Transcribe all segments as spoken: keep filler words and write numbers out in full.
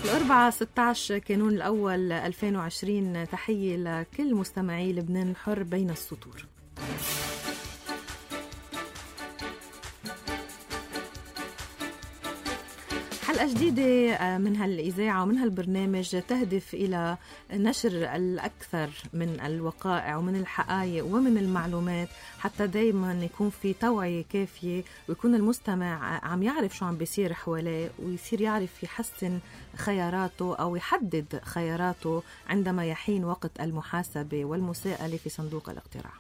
الأربعاء ستة عشر كانون الأول ألفين وعشرين. تحية لكل مستمعي لبنان الحر بين السطور. حلقة جديدة من هالإذاعة ومن هالبرنامج تهدف إلى نشر الأكثر من الوقائع ومن الحقائق ومن المعلومات، حتى دايما يكون في توعية كافية ويكون المستمع عم يعرف شو عم بيصير حواليه ويصير يعرف يحسن خياراته أو يحدد خياراته عندما يحين وقت المحاسبة والمساءلة في صندوق الاقتراع.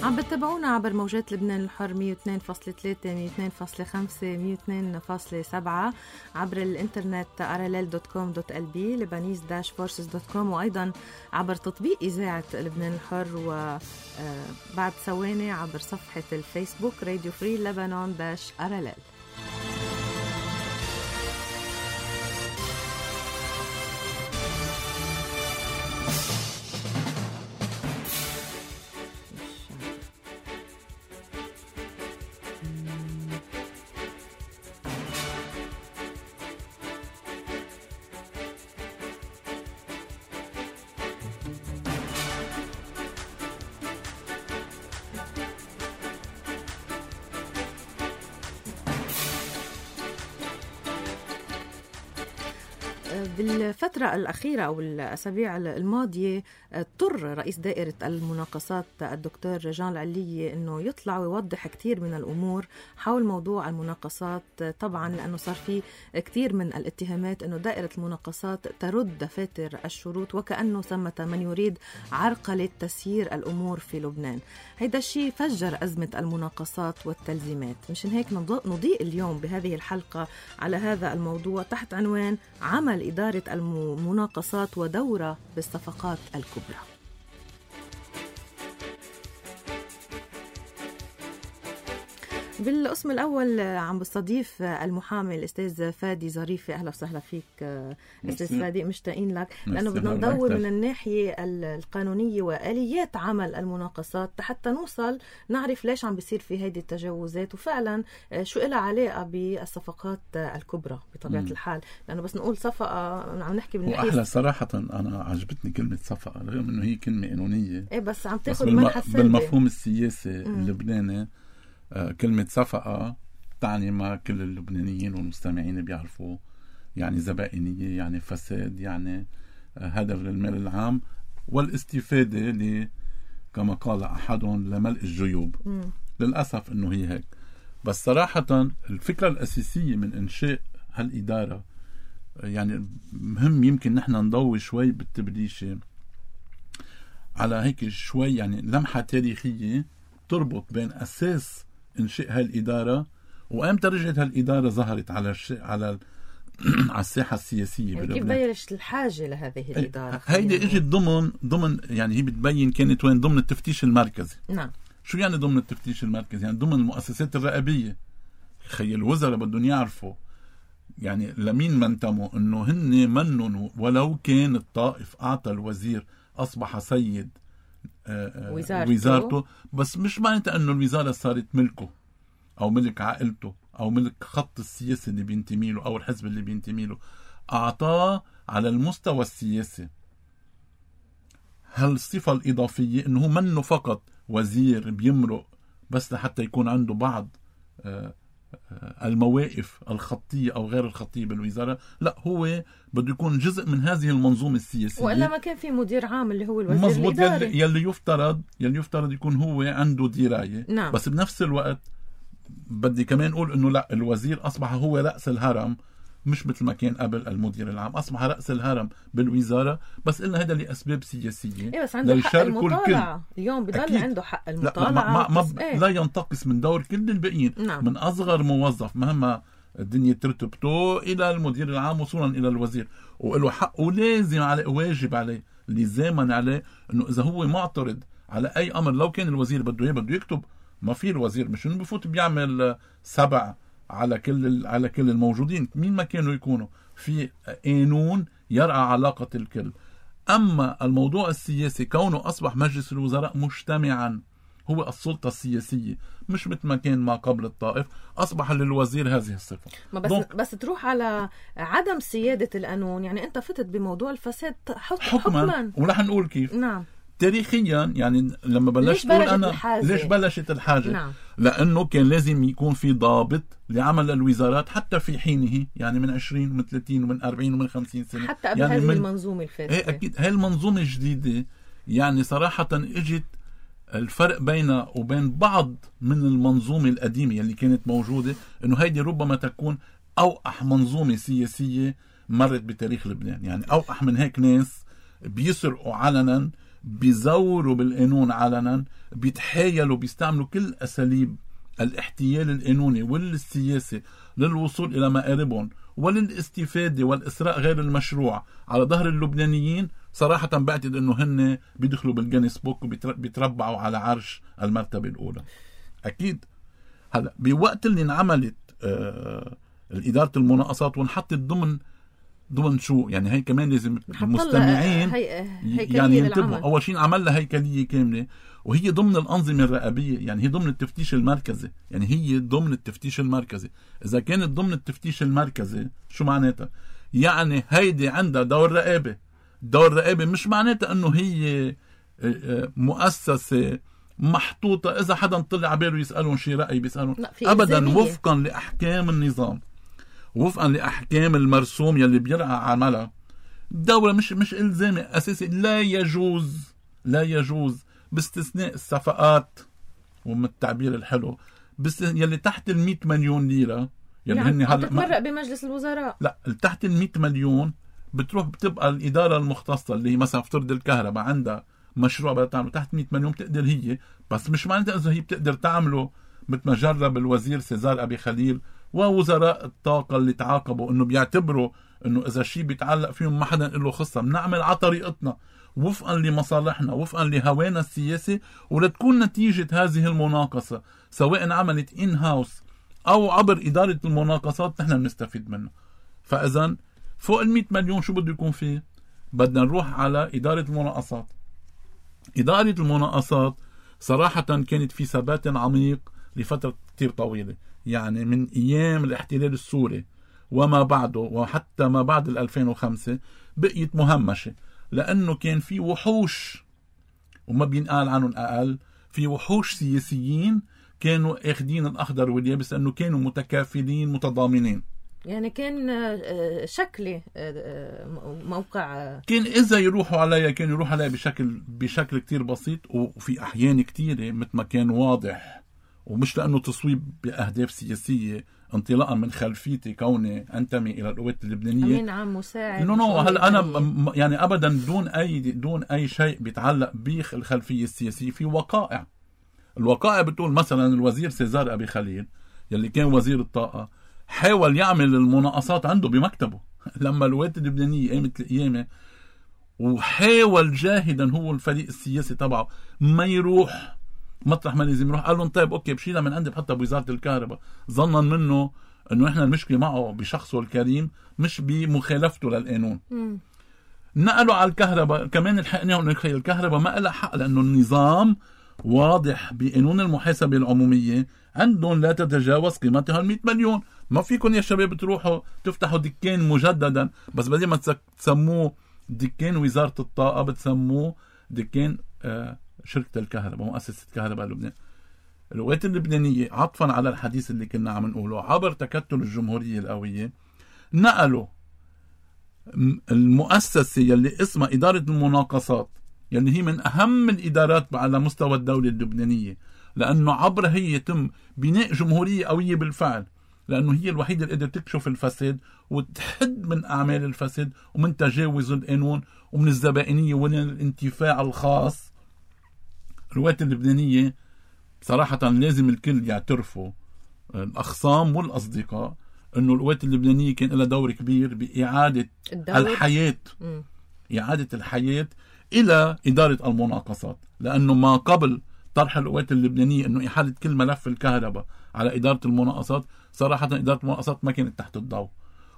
عم بتابعونا عبر موجات لبنان الحر مية واثنين فاصلة ثلاثة مية واثنين فاصلة خمسة مية واثنين فاصلة سبعة، عبر الانترنت ارلل دوت كوم دوت ال بي لبنانيز داش فورسز دوت كوم، وأيضا عبر تطبيق إذاعة لبنان الحر، وبعد ثواني عبر صفحة الفيسبوك راديو فري لبنان داش ارلل. بالفترة الأخيرة أو الأسابيع الماضية اضطر رئيس دائرة المناقصات الدكتور جان العلية أنه يطلع ويوضح كتير من الأمور حول موضوع المناقصات، طبعا لأنه صار فيه كتير من الاتهامات أنه دائرة المناقصات ترد دفاتر الشروط وكأنه ثمة من يريد عرقلة تسيير الأمور في لبنان. هيدا الشيء فجر أزمة المناقصات والتلزيمات. مشان هيك نضيء اليوم بهذه الحلقة على هذا الموضوع تحت عنوان عمل إدارة المناقصات ودورة بالصفقات الكبرى. بالقسم الأول عم بستضيف المحامي الأستاذ فادي ظريفي. أهلا وسهلا فيك أستاذ فادي، مشتاقين لك لأنه بدنا ندور من الناحية القانونية وآليات عمل المناقصات حتى نوصل نعرف ليش عم بيصير في هيدي التجاوزات وفعلا شو إلها علاقة بالصفقات الكبرى بطبيعة م. الحال. لأنه بس نقول صفقة عم نحكي بالنحيس. وأحلى صراحة أنا عجبتني كلمة صفقة رغم أنه هي كلمة قانونية، إيه بس عم تاخد منحة بالم... بالمفهوم السياسي اللبناني. آه كلمة صفقة تعني ما كل اللبنانيين والمستمعين بيعرفوا، يعني زبائنية، يعني فساد، يعني آه هدف للمال العام والاستفادة ل كما قال أحدهم لملء الجيوب. م. للأسف أنه هي هيك. بس صراحة الفكرة الأساسية من إنشاء هالإدارة، يعني مهم يمكن نحن نضوي شوي بالتبليشة على هيك شوي يعني لمحة تاريخية تربط بين أساس إنشاء هالإدارة وأمتى رجعت هالإدارة ظهرت على الش... على على الساحة السياسية. يعني كيف بلشت الحاجة لهذه الإدارة؟ هيدي اجت ضمن ضمن يعني هي بتبين كانت وين ضمن التفتيش المركزي. نعم. شو يعني ضمن التفتيش المركزي؟ يعني ضمن المؤسسات الرقابية. خي الوزراء بدهم يعرفوا يعني لمين منتموا، انه هن منن ولو كان الطائف اعطى الوزير اصبح سيد وزارته. وزارته، بس مش معناتها انه الوزارة صارت ملكه او ملك عائلته او ملك خط السياسي اللي بينتمي له او الحزب اللي بينتمي له. اعطاه على المستوى السياسي هالصفة الإضافية انه هو منه فقط وزير بيمرق بس لحتى يكون عنده بعض المواقف الخطية أو غير الخطية بالوزارة، لا هو بده يكون جزء من هذه المنظومة السياسية. وإلا ما كان في مدير عام اللي هو الوزير مزبوط الإداري يلي يفترض يلي يفترض يكون هو عنده دراية. نعم. بس بنفس الوقت بدي كمان أقول إنه لا، الوزير أصبح هو رأس الهرم، مش مثل ما كان قبل المدير العام، أصبح رأس الهرم بالوزارة. بس إلا هذا لأسباب سياسية. إيه بس عنده حق المطالعة اليوم، بضل عنده حق المطالعة. لا, ما ما ما إيه؟ لا ينتقص من دور كل الباقيين. نعم. من أصغر موظف مهما الدنيا ترتبطه إلى المدير العام وصولا إلى الوزير، وله حق ولازم عليه واجب عليه لزاما عليه إنه إذا هو معترض على أي أمر لو كان الوزير بده إيه بده يكتب. ما في الوزير مش إنه بفوت بيعمل سبع على كل على كل الموجودين، مين ما كانوا يكونوا في قانون يرعى علاقة الكل. أما الموضوع السياسي كونه أصبح مجلس الوزراء مجتمعا هو السلطة السياسية، مش مثل ما كان ما قبل الطائف، أصبح للوزير هذه الصفة. ما بس, بس تروح على عدم سيادة القانون، يعني أنت فتت بموضوع الفساد حكما, حكما. ورح نقول كيف. نعم. تاريخيا يعني لما بلشت تقول أنا الحاجة؟ ليش بلشت الحاجة؟ نعم. لأنه كان لازم يكون في ضابط لعمل الوزارات حتى في حينه، يعني من عشرين ومن ثلاثين ومن أربعين ومن خمسين سنة، حتى قبل يعني هذه من... المنظومة الفاسدة. ايه أكيد هاي المنظومة الجديدة يعني صراحة اجت الفرق بينها وبين بعض من المنظومة القديمة اللي كانت موجودة، انه هيدي ربما تكون اوقح منظومة سياسية مرت بتاريخ لبنان. يعني اوقح من هيك ناس بيسرقوا علنا، بيزوروا بالقانون علنا، بيتحايلوا، بيستعملوا كل اساليب الاحتيال القانوني والسياسي للوصول الى مآربهم وللاستفادة والاسراء غير المشروع على ظهر اللبنانيين. صراحة بعتقد انه هن بيدخلوا بالجينيس بوك وبيتربعوا على عرش المرتبة الاولى. اكيد. هلا بوقت اللي انعملت آه الادارة المناقصات وانحطت ضمن ضمن شو يعني، هي كمان لازم المستمعين هي... يعني ينتبهوا. اول شيء عمل لها هيكلية كاملة، وهي ضمن الأنظمة الرقابية، يعني هي ضمن التفتيش المركزي. يعني هي ضمن التفتيش المركزي. إذا كانت ضمن التفتيش المركزي شو معناتها؟ يعني هيدي عندها دور رقابة. دور رقابة مش معناتها أنه هي مؤسسة محطوطة إذا حدا طلع باله يسألون شي رأي بيسألون أبدا، وفقا لأحكام النظام، وفقا لأحكام المرسوم يلي بيرعى عملها. الدولة مش مش إلزامي أساسي. لا يجوز لا يجوز باستثناء الصفقات، ومن التعبير الحلو بس يلي تحت المئة مليون ليرة يلي يعني هن هلا تتمرق بمجلس الوزراء. لا، تحت المئة مليون بتروح بتبقى الإدارة المختصة اللي هي مثلا افترض الكهرباء عندها مشروع بدها تعمله تحت مئة مليون، بتقدر هي، بس مش معناتها إذا هي بتقدر تعمله مثل ما جرب الوزير سيزار أبي خليل ووزراء الطاقة اللي تعاقبوا إنه بيعتبروا إنه إذا شيء بيتعلق فيهم ما حدا له خصة، بنعمل على طريقتنا وفقا لمصالحنا وفقا لهوانا السياسي، ولتكون نتيجة هذه المناقصة سواء عملت إن هاوس أو عبر إدارة المناقصات نحن بنستفيد منها. فإذا فوق المئة مليون شو بده يكون فيه؟ بدنا نروح على إدارة المناقصات. إدارة المناقصات صراحة كانت في ثبات عميق لفترة كتير طويلة، يعني من أيام الاحتلال السوري وما بعده وحتى ما بعد ألفين وخمسة بقيت مهمشة، لأنه كان في وحوش وما بينقال عنهم أقل، في وحوش سياسيين كانوا اخدين الأخضر واليابس، لأنه كانوا متكافلين متضامنين. يعني كان شكلي موقع، كان إذا يروحوا عليها كانوا يروحوا عليها بشكل بشكل كتير بسيط، وفي أحيان كتيرة مثل ما كان واضح، ومش لأنه تصويب بأهداف سياسية انطلاقا من خلفيتي كوني أنتمي إلى القوات اللبنانية أمين عام مساعد. نو نو هلا أنا يعني أبدا دون أي دون أي شيء بيتعلق بالخلفية السياسية. في وقائع، الوقائع بتقول مثلا الوزير سيزار أبي خليل يلي كان وزير الطاقة حاول يعمل المناقصات عنده بمكتبه لما القوات اللبنانية قامت القيامة، وحاول جاهدا هو الفريق السياسي تبعه ما يروح مطرح ما لازم يروح. قال لهم طيب اوكي بشيلها من عندي بحطها بوزارة الكهرباء، ظنا منه انه احنا المشكلة معه بشخصه الكريم مش بمخالفته للقانون. م. نقلوا على الكهرباء كمان، الحقناه انه الكهرباء ما لها حق، لانه النظام واضح بقانون المحاسبة العمومية عندهم لا تتجاوز قيمتها المئة مليون. ما فيكم يا شباب تروحوا تفتحوا دكان مجددا، بس بدل ما تسموه دكان وزارة الطاقة بتسموه دكان آه شركة الكهرباء، مؤسسة كهرباء لبنان. القوات اللبنانية عطفا على الحديث اللي كنا عم نقوله عبر تكتل الجمهورية القوية نقلوا المؤسسة يلي اسمها إدارة المناقصات، يلي هي من أهم الإدارات على مستوى الدولة اللبنانية، لأنه عبرها هي يتم بناء جمهورية قوية بالفعل، لأنه هي الوحيدة اللي قدرت تكشف الفساد وتحد من أعمال الفساد ومن تجاوز القانون ومن الزبائنية ومن الانتفاع الخاص. القوات اللبنانية بصراحة لازم الكل يعترفوا الأخصام والأصدقاء أنه القوات اللبنانية كان لها دور كبير بإعادة الدور. الحياة م. إعادة الحياة إلى إدارة المناقصات، لأنه ما قبل طرح القوات اللبنانية أنه إحالة كل ملف الكهرباء على إدارة المناقصات، صراحة إدارة المناقصات ما كانت تحت الضوء،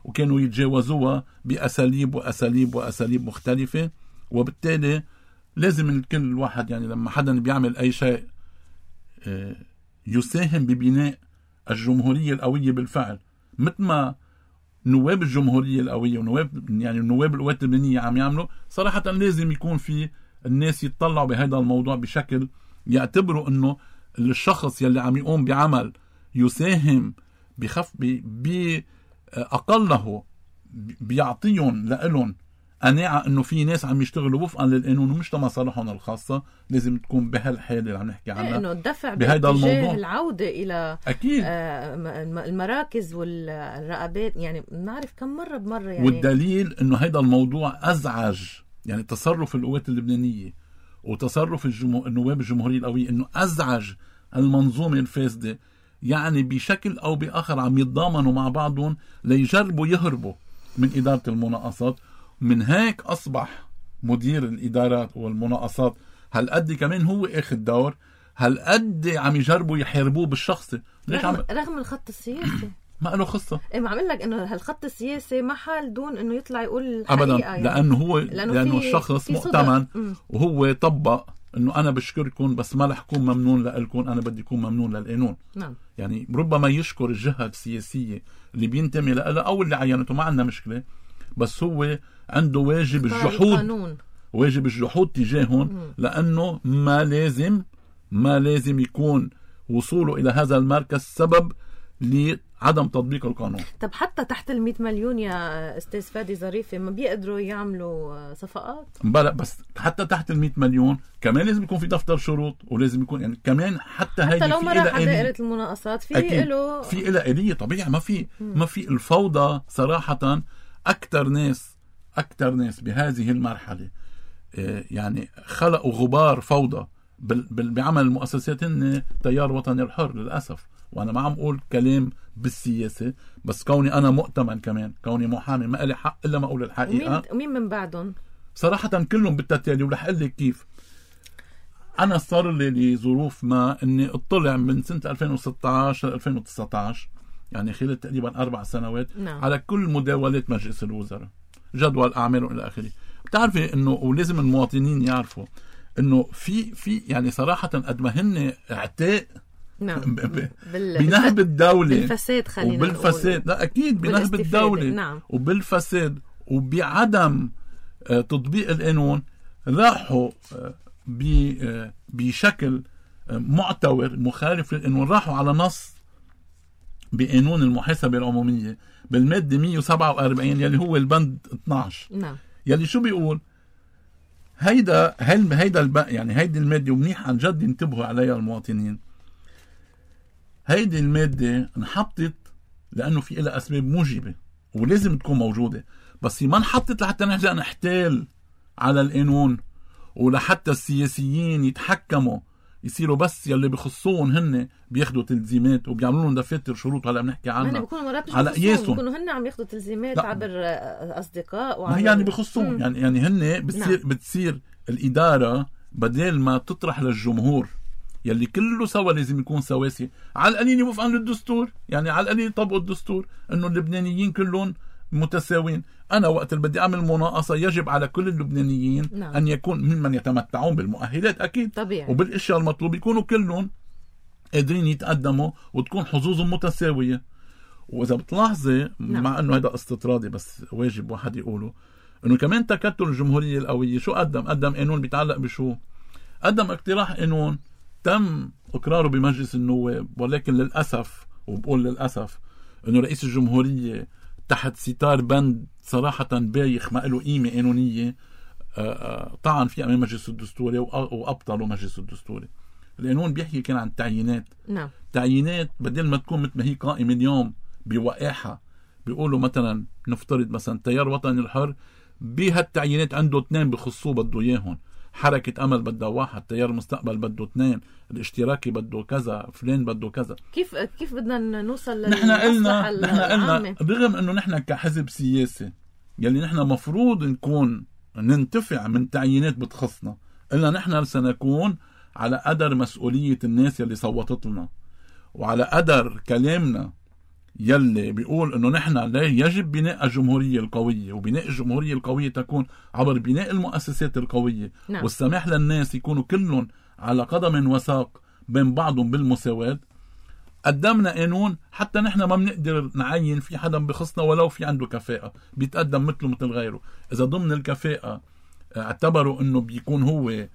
وكانوا يتجاوزوها بأساليب وأساليب وأساليب مختلفة وبالتالي لازم كل واحد يعني لما حدا بيعمل أي شيء يساهم ببناء الجمهورية القوية بالفعل، مثل ما نواب الجمهورية القوية ونواب يعني نواب القوات اللبنانية عم يعملوا. صراحة لازم يكون في الناس يتطلعوا بهذا الموضوع بشكل يعتبروا انه الشخص يلي عم يقوم بعمل يساهم بخف بأقله بيعطيهم لإلهم قناعة انه في ناس عم يشتغلوا وفقا للقانون ومش لمصالحهم الخاصة. لازم تكون بهالحالة اللي عم نحكي عنها، انه الدفع بهذا الموضوع، العودة الى اكيد المراكز والرقابات. يعني بنعرف كم مرة بمرة يعني. والدليل انه هذا الموضوع ازعج يعني تصرف القوات اللبنانية وتصرف الجمهور النواب الجمهورية القوية، انه ازعج المنظومة الفاسدة. يعني بشكل او باخر عم يتضامنوا مع بعضهم ليجربوا يهربوا من إدارة المناقصات. من هيك أصبح مدير الإدارات والمناقصات هالقد كمان هو اخذ دور، هالقد عم يجربوا يحاربوه بالشخصي. ليش رغم, عم... رغم الخط السياسي ما له خصة. إيه ما عم لك إنه هالخط السياسي ما حال دون إنه يطلع يقول الحقيقة أبدا يعني. لأنه هو لأنه, لأنه في الشخص في مؤتمن وهو طبق إنه أنا بشكركم بس ما رح أكون ممنون لإلكم، أنا بدي أكون ممنون للقانون. نعم. يعني ربما يشكر الجهة السياسية اللي بينتمي لها أو اللي عينته، ما عندنا مشكلة، بس هو عنده واجب الجحود، واجب الجحود تجاههم، لأنه ما لازم ما لازم يكون وصوله إلى هذا المركز سبب لعدم تطبيق القانون. طب حتى تحت المئة مليون يا أستاذ فادي ظريفة ما بيقدروا يعملوا صفقات؟ بلا بس حتى تحت المئة مليون كمان لازم يكون في دفتر شروط، ولازم يكون يعني كمان حتى, حتى لو ما راح دائرة المناقصات في له في إلى آلية طبيعي. ما في ما في الفوضى صراحة. أكتر ناس أكتر ناس بهذه المرحلة يعني خلقوا غبار فوضى بعمل المؤسسات هن تيار وطني الحر للأسف. وأنا ما عم أقول كلام بالسياسة، بس كوني أنا مؤتمن كمان، كوني محامي ما لي حق إلا ما أقول الحقيقة. ومين من بعدهم؟ صراحة كلهم بالتالي، ورح أقول لك كيف. أنا صار لي لظروف ما إني اطلع من سنة ألفين وستة عشر ألفين وتسعة عشر يعني خلال تقريبا أربع سنوات نعم. على كل مداولات مجلس الوزراء، جدول أعمال إلى آخره. بتعرفي إنه ولازم المواطنين يعرفوا إنه في في يعني صراحة قد ما هن اعتاء نعم. ب... بنهب الدولة بالفساد، خلينا وبالفساد، لا أكيد بنهب الدولة نعم. وبالفساد وبعدم تطبيق القانون، راحوا ب... بشكل معتور مخالف للقانون، راحوا على نص بقانون المحاسبة العمومية بالمادة مئة وسبعة وأربعين يلي هو البند اثناشر نعم. يلي شو بيقول هيدا هل هيدا الب... يعني هيدي المادة، ومنيح عن جد ينتبهوا عليها المواطنين. هيدي المادة انحطت لأنه في إلها أسباب موجبة ولازم تكون موجودة، بس ما انحطت لحتى نرجع نحتال على القانون ولحتى السياسيين يتحكموا يصيروا بس يلي بخصوهم هن بياخدوا تلزيمات وبيعملوا لهم دفاتر شروط هلا بنحكي عنها على قياسهم، بيكونوا هن عم ياخذوا تلزيمات لا. عبر اصدقاء وعبر... ما يعني بخصوهم يعني يعني هن بتصير نعم. بتصير الاداره بدل ما تطرح للجمهور يلي كله سوا لازم يكون سواسي، على القليل وفقا للدستور، يعني على القليل طبقوا الدستور انه اللبنانيين كلهم متساوين. أنا وقت اللي بدي أعمل مناقصة يجب على كل اللبنانيين نعم. أن يكون ممن يتمتعون بالمؤهلات أكيد طبيعي. وبالأشياء المطلوب يكونوا كلهم قادرين يتقدموا وتكون حظوظهم متساوية. وإذا بتلاحظي نعم. مع أنه هذا استطرادي بس واجب واحد يقوله أنه كمان تكتل الجمهورية القوية شو قدم؟ قدم قانون بيتعلق بشو؟ قدم اقتراح قانون تم إقراره بمجلس النواب، ولكن للأسف وبقول للأسف أنه رئيس الجمهورية تحت ستار بند صراحة بايخ ما له قيمة قانونية طعن فيه أمام مجلس الدستوري وأبطلوا مجلس الدستوري. القانون بيحكي كان عن تعيينات نعم. تعيينات بدل ما تكون مثل ما هي قائمة اليوم بوقاحة، بيقولوا مثلا نفترض مثلا تيار وطني الحر بهالتعيينات عنده اثنين بخصوه بده اياهم، حركة أمل بدها واحد، تيار مستقبل بده اثنين، الاشتراكي بده كذا، فلان بده كذا. كيف كيف بدنا نوصل نحن قلنا نحن قلنا رغم انه نحن كحزب سياسي يلي نحن مفروض نكون ننتفع من تعيينات بتخصنا، قلنا نحن سنكون على قدر مسؤولية الناس يلي صوتت لنا وعلى قدر كلامنا يلي بيقول انه نحن لا يجب بناء الجمهورية القوية، وبناء الجمهورية القوية تكون عبر بناء المؤسسات القوية، نعم. والسماح للناس يكونوا كلهم على قدم وساق بين بعضهم بالمساواة. قدمنا قانون حتى نحن ما بنقدر نعين في حدا بخصنا ولو في عنده كفاءة، بيتقدم مثله مثل غيره. إذا ضمن الكفاءة اعتبروا انه بيكون هو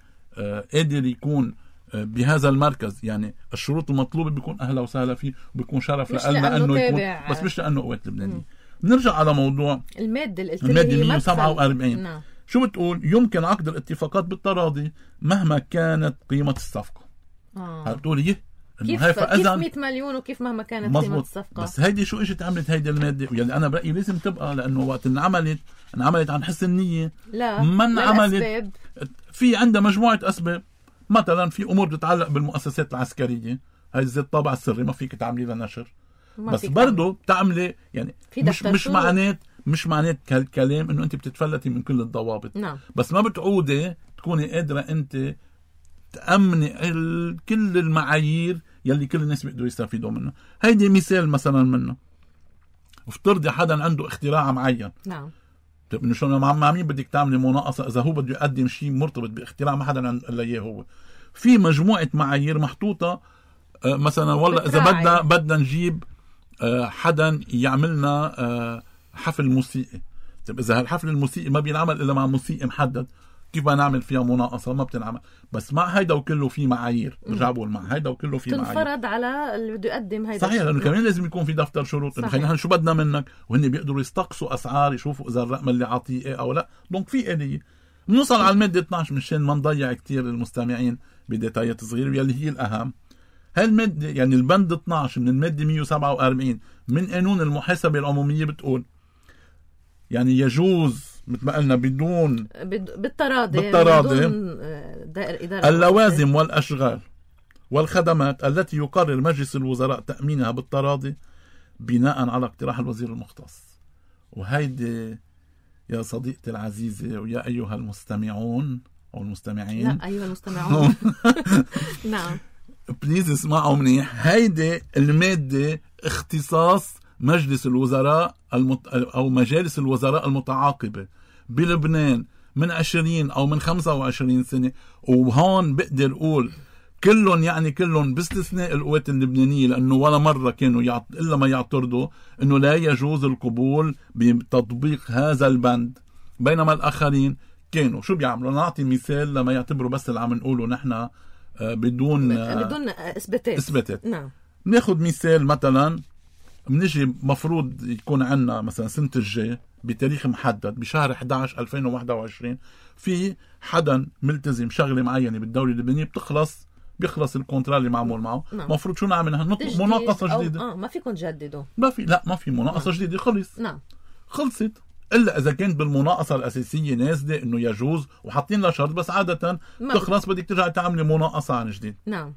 قادر يكون بهذا المركز، يعني الشروط المطلوبة بيكون أهلا وسهلا فيه، وبيكون شرف لنا أنه يكون، بس مش لأنه قوات لبنانية. بنرجع على موضوع المادة المادة مية وسبعة وأربعين. نعم. شو بتقول؟ يمكن عقد الاتفاقات بالتراضي مهما كانت قيمة الصفقة. آه. بتقول يه كيف كيف مية مليون وكيف مهما كانت مزبوط. قيمة الصفقة. بس هيدي شو اجت عملت هيدي المادة، واللي أنا برأيي لازم تبقى، لأنه وقت انعملت انعملت عن حسن النية. لا ما انعملت في عندها مجموعة أسباب. مثلا في امور بتتعلق بالمؤسسات العسكريه، هاي زي الطابع السري ما فيك تعملي لها نشر، بس برضه بتعملي يعني مش مش معنات مش معنات كلام انه انت بتتفلتي من كل الضوابط. نعم. بس ما بتعودي تكوني قادره انت تامني كل المعايير يلي كل الناس بيقدروا يستفيدوا منها. هيدي مثال مثلا منه. افترضي حدا عنده اختراع معين. نعم. طيب انه شو مع مين بدك تعملي مناقصه اذا هو بده يقدم شيء مرتبط باختراع ما حدا الا اياه هو. في مجموعه معايير محطوطه، مثلا والله اذا بدنا بدنا نجيب حدا يعملنا حفل موسيقي. طيب اذا هالحفل الموسيقي ما بينعمل الا مع موسيقي محدد، كيف بدنا نعمل فيها مناقصه؟ ما بتنعمل. بس مع هيدا وكله في معايير، برجع بقول مع هيدا وكله في معايير تنفرض على اللي بده يقدم هيدا. صحيح، لانه كمان لازم يكون في دفتر شروط، انه خلينا شو بدنا منك، وهن بيقدروا يستقصوا اسعار، يشوفوا اذا الرقم اللي عطيه او لا. دونك في آلية. بنوصل على الماده اثنعش مشان ما نضيع كتير المستمعين بديتايات صغيره يلي هي الاهم. هاي الماده يعني البند اثنعش من الماده مية وسبعة وأربعين من قانون المحاسبه العموميه بتقول يعني يجوز مثل ما قلنا بدون بالتراضي بالتراضي بدون دائرة إدارة اللوازم والأشغال والخدمات التي يقرر مجلس الوزراء تأمينها بالتراضي بناء على اقتراح الوزير المختص. وهيدي يا صديقتي العزيزة ويا أيها المستمعون أو المستمعين، لا أيها المستمعون نعم بليز اسمعوا منيح. هيدي المادة اختصاص مجلس الوزراء المت... أو مجالس الوزراء المتعاقبة بلبنان من عشرين أو من خمسة وعشرين سنة. وهون بقدر أقول كلهم، يعني كلهم باستثناء القوات اللبنانية، لأنه ولا مرة كانوا يعط... إلا ما يعترضوا أنه لا يجوز القبول بتطبيق هذا البند، بينما الآخرين كانوا شو بيعملوا. نعطي مثال لما يعتبروا بس اللي عم نقوله نحن بدون بدون إثباتات. إثباتات. نعم. ناخد مثال مثلا، منجي مفروض يكون عنا مثلا سنة الجاي بتاريخ محدد بشهر إحدى عشر ألفين وواحد وعشرين في حدا ملتزم شغلة معينة بالدولة اللبنانية بتخلص بيخلص الكونترا اللي معمول معه. نعم. مفروض شو نعمل؟ نطلب مناقصة جديدة. اه ما فيكم تجددوا. ما في لا ما في مناقصة. نعم. جديدة. خلص. نعم. خلصت. إلا إذا كانت بالمناقصة الأساسية نازلة إنه يجوز وحاطين لها شرط، بس عادة تخلص بدك ترجع تعملي مناقصة عن جديد. نعم.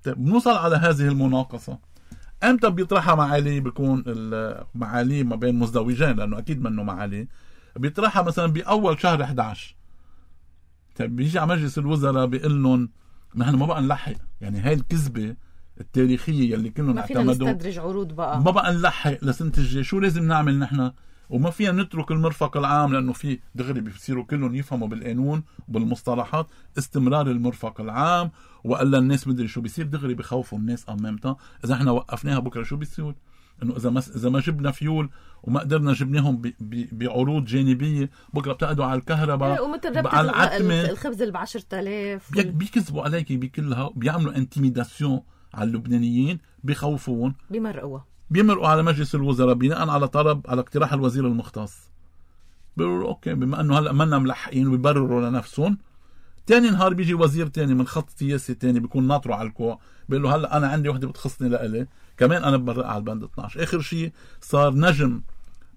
طيب بنوصل على هذه المناقصة امتى بيطرحها معالي؟ بيكون المعالي ما بين مزدوجين، لانه اكيد منه معالي. بيطرحها مثلا باول شهر إحدى عشر. طيب بيجي على مجلس الوزراء بيقول لهم نحن ما بقى نلحق، يعني هاي الكذبه التاريخيه اللي كلهم اعتمدوا، ما فينا نستدرج عروض بقى، ما بقى نلحق لسنه الجاي. شو لازم نعمل نحن؟ وما فينا نترك المرفق العام، لانه في دغري بيصيروا كلهم يفهموا بالقانون وبالمصطلحات استمرار المرفق العام، والا الناس مدري شو بيصير. دغري بخوفوا الناس امامتها اذا احنا وقفناها بكره شو بيصير، انه اذا ما اذا ما جبنا فيول وما قدرنا جبناهم بعروض جانبيه بكره بتقعدوا على الكهرباء على العتمه الخبز ال عشرة آلاف وال... بيكذبوا عليك بكلها، بيعملوا انتيميداسيون على اللبنانيين، بخوفون، بيمرقوا بيمرقوا على مجلس الوزراء بناء على طلب على اقتراح الوزير المختص. بيقولوا اوكي بما انه هلا منا ملحقين ويبرروا لنفسهم. تاني نهار بيجي وزير تاني من خط سياسي تاني بيكون ناطره على الكوع، بيقول له هلا انا عندي وحده بتخصني لإلي كمان انا ببرق على البند اثنعش. اخر شيء صار نجم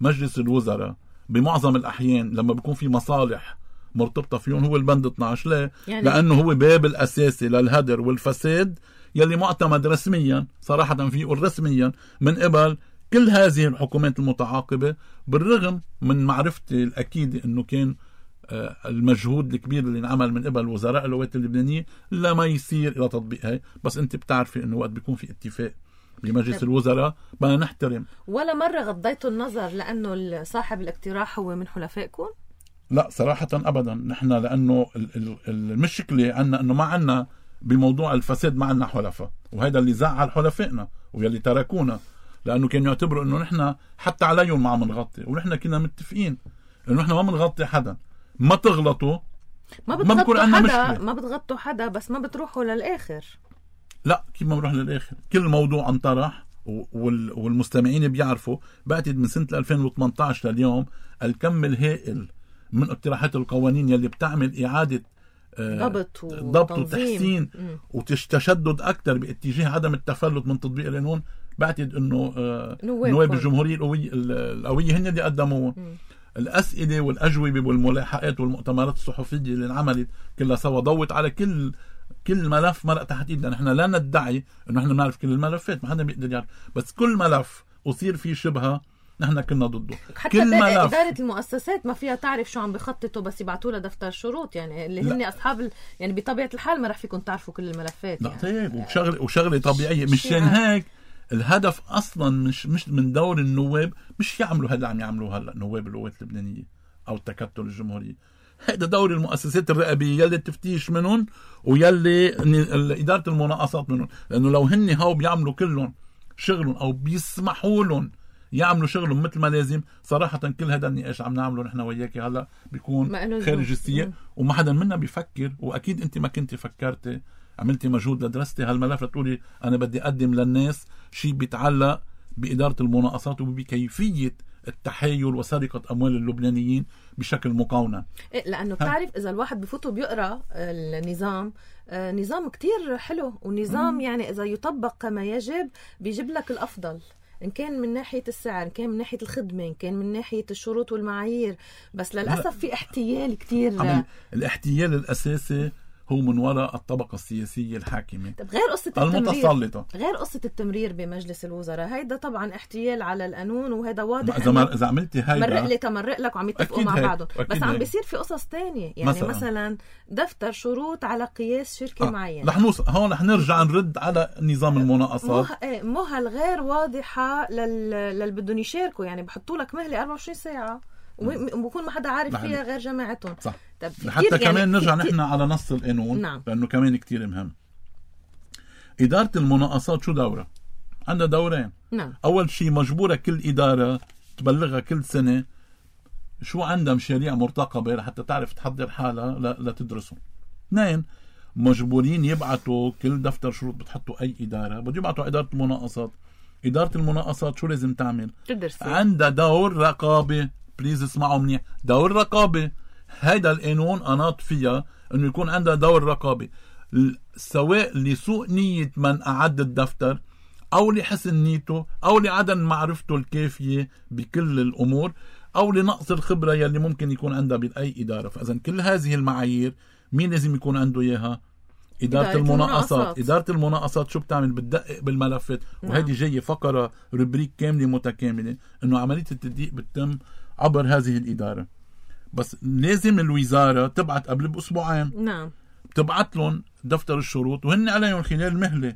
مجلس الوزراء بمعظم الاحيان لما بيكون في مصالح مرتبطه فيهم هو البند اثنعش. ليه؟ يعني لانه هو باب الاساسي للهدر والفساد يلي معتمد رسميا، صراحه فيه رسميا من قبل كل هذه الحكومات المتعاقبه، بالرغم من معرفتي الاكيده انه كان المجهود الكبير اللي انعمل من قبل وزراء القوات اللبنانيه لما يصير الى تطبيق هاي. بس انت بتعرفي انه وقت بيكون في اتفاق بمجلس الوزراء بدنا نحترم. ولا مرة غضيتوا النظر لأنه صاحب الاقتراح هو من حلفائكم؟ لا صراحة أبدا. نحن لأنه المشكلة عنا أنه ما عنا بموضوع الفساد ما عنا حلفاء، وهذا اللي زعل حلفائنا واللي تركونا، لأنه كانوا يعتبروا أنه نحن حتى عليهم ما عم نغطي، ونحن كنا متفقين أنه نحن ما بنغطي حدا. ما تغلطوا ما بتغطوا حدا مشكلة. ما بتغطوا حدا بس ما بتروحوا للآخر. لا كيف ما بنروح للآخر؟ كل موضوع انطرح والمستمعين بيعرفوا. بعتقد من سنة ألفين وثمانية عشر لليوم الكم الهائل من اقتراحات القوانين يلي بتعمل إعادة ضبط ضبط وتحسين وتشدد أكثر باتجاه عدم التفلت من تطبيق القانون. بعتقد إنه نواب الجمهورية القوية القوية هن اللي قدموه. الأسئلة والأجوبة والملاحقات والمؤتمرات الصحفية اللي انعملت كلها سوا ضوت على كل كل ملف مرق تحت ايدنا. نحن لا ندعي انه نحن بنعرف كل الملفات، ما حدا بيقدر يعرف، بس كل ملف أصير فيه شبهة نحن كنا ضده. حتى كل ملف إدارة المؤسسات ما فيها تعرف شو عم بخططوا، بس يبعتوا لها دفتر شروط يعني اللي هن أصحاب ال... يعني بطبيعة الحال ما رح فيكم تعرفوا كل الملفات. لا يعني. طيب وشغله وشغله طبيعية. مشان هيك الهدف اصلا مش مش من دور النواب، مش يعملوا هذا عم يعملوه هلا نواب القوات اللبنانيه او التكتل الجمهوري. هذا دور المؤسسات الرقابيه يلي التفتيش منهم ويلي اداره المناقصات منهم، لانه لو هن هاو بيعملوا كلهم شغلهم او بيسمحوا لهم يعملوا شغلهم مثل ما لازم، صراحه كل هذا النقاش عم نعمله نحن وياك هلا بيكون خارج السياق وما حدا منا بيفكر. واكيد انت ما كنت فكرتي عملتي مجهود لدرستي هالملف لتقولي أنا بدي أقدم للناس شيء بيتعلق بإدارة المناقصات وبكيفية التحايل وسرقة أموال اللبنانيين بشكل مقاونة. إيه لأنه بتعرف إذا الواحد بفوته بيقرأ النظام آه نظام كتير حلو ونظام مم. يعني إذا يطبق كما يجب بيجيب لك الأفضل، إن كان من ناحية السعر، إن كان من ناحية الخدمة، إن كان من ناحية الشروط والمعايير، بس للأسف في احتيال كتير. الاحتيال الأساسي هو من وراء الطبقة السياسية الحاكمة. طب غير قصة المتسلطة، غير قصة التمرير بمجلس الوزراء، هيدا طبعا احتيال على القانون وهذا واضح. إذا ما إذا عملتي هيدا مرق لي تمرق لك وعم يتفقوا مع بعضهم، بس عم بيصير في قصص تانية يعني مثلا, مثلا دفتر شروط على قياس شركة آه. معينة. رح نوصل هون، رح نرجع نرد على نظام المناقصات. مهل غير واضحة لل للي بدهم يشاركوا، يعني بحطوا لك مهلة أربعة وعشرين ساعة وبكون ما حدا عارف فيها غير جماعتهم. صح. حتى يعني كمان نرجع نحن على نص القانون. نعم. لأنه كمان كتير مهم. إدارة المناقصات شو دورة؟ عندها دورين. نعم. أول شيء مجبورة كل إدارة تبلغها كل سنة شو عندها مشاريع مرتقبة لحتى تعرف تحضر حالها لتدرسهم. اثنين، مجبورين يبعتوا كل دفتر شروط بتحطوا أي إدارة بده يبعتوا إدارة المناقصات. إدارة المناقصات شو لازم تعمل؟ تدرس. عندها دور رقابة. بليز اسمعوا منيح، دور رقابة. هيدا القانون أناط فيها أنه يكون عندها دور رقابة، سواء لسوء نية من أعد الدفتر أو لحسن نيته أو لعدم معرفته الكافية بكل الأمور أو لنقص الخبرة يلي ممكن يكون عندها بأي إدارة. فإذن كل هذه المعايير مين لازم يكون عنده إياها؟ إدارة, إدارة المناقصات. المناقصات. إدارة المناقصات شو بتعمل؟ بتدقق بالملفات. وهذه جاية فقرة ربريك كاملة متكاملة أنه عملية التدقيق بتتم عبر هذه الإدارة. بس لازم الوزارة تبعت قبل بأسبوعين. نعم. تبعت لهم دفتر الشروط وهن عليهم خلال مهلة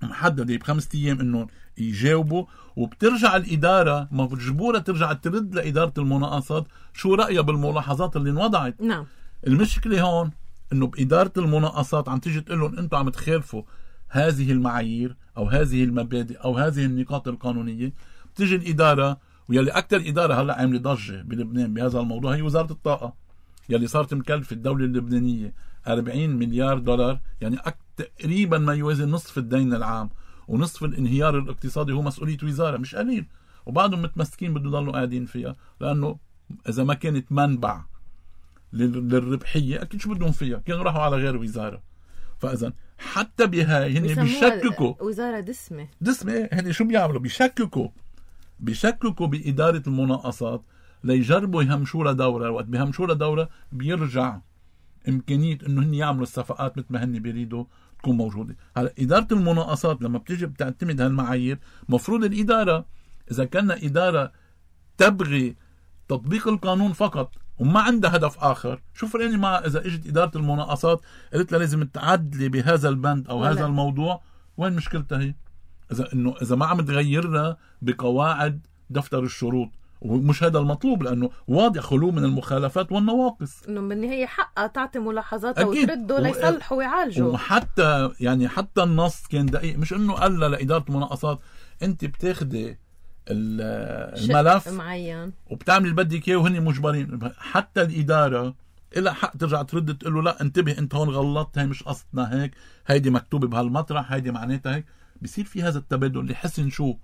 محددة بخمسة أيام إنه يجاوبوا، وبترجع الإدارة مجبورة ترجع ترد لإدارة المناقصات شو رأيها بالملاحظات اللي انوضعت. نعم. المشكلة هون إنه بإدارة المناقصات عم تيجي تقول لهم أنتم عم تخالفوا هذه المعايير أو هذه المبادئ أو هذه النقاط القانونية. بتيجي الإدارة، ويلي أكتر إدارة هلأ عاملة ضجة بلبنان بهذا الموضوع هي وزارة الطاقة، يلي صارت مكلفة الدولة اللبنانية أربعين مليار دولار، يعني تقريبا ما يوازي نصف الدين العام ونصف الانهيار الاقتصادي هو مسؤولية وزارة، مش قليل. وبعضهم متمسكين بده يضلوا قاعدين فيها، لأنه إذا ما كانت منبع للربحية أكيد شو بدهم فيها، كانوا راحوا على غير وزارة. فإذا حتى بهاي هن بيشككوا وزارة دسمة دسمة هن شو بيعملوا؟ بيشككوا بيشككوا بإدارة المناقصات ليجربوا يهمشوا لها دورة. وقت بيهمشوا لها دورة بيرجع إمكانية إنه هن يعملوا الصفقات مثل ما هن بيريدوا تكون موجودة. هلا إدارة المناقصات لما بتيجي بتعتمد هالمعايير، مفروض الإدارة إذا كان إدارة تبغي تطبيق القانون فقط وما عندها هدف آخر، شو فرقني مع إذا إجت إدارة المناقصات قلت لها لازم تعدلي بهذا البند أو ولا. هذا الموضوع، وين مشكلتها هي؟ اذا انه اذا ما عم تغيرنا بقواعد دفتر الشروط، ومش هذا المطلوب لانه واضح خلو من المخالفات والنواقص. انه بالنهايه حقها تعطي ملاحظاتها وترده ليصلحوا ويعالجوا. وحتى يعني حتى النص كان دقيق، مش انه قال لاداره المناقصات انت بتاخدي الملف معين وبتعمل اللي بدك اياه وهن مجبرين. حتى الاداره إلها حق ترجع ترد تقول له لا انتبه انت هون غلطت، هي مش قصدنا هيك، هيدي مكتوبه بهالمطرح، هيدي معناتها هيك. بصير في هذا التبادل اللي حسن شو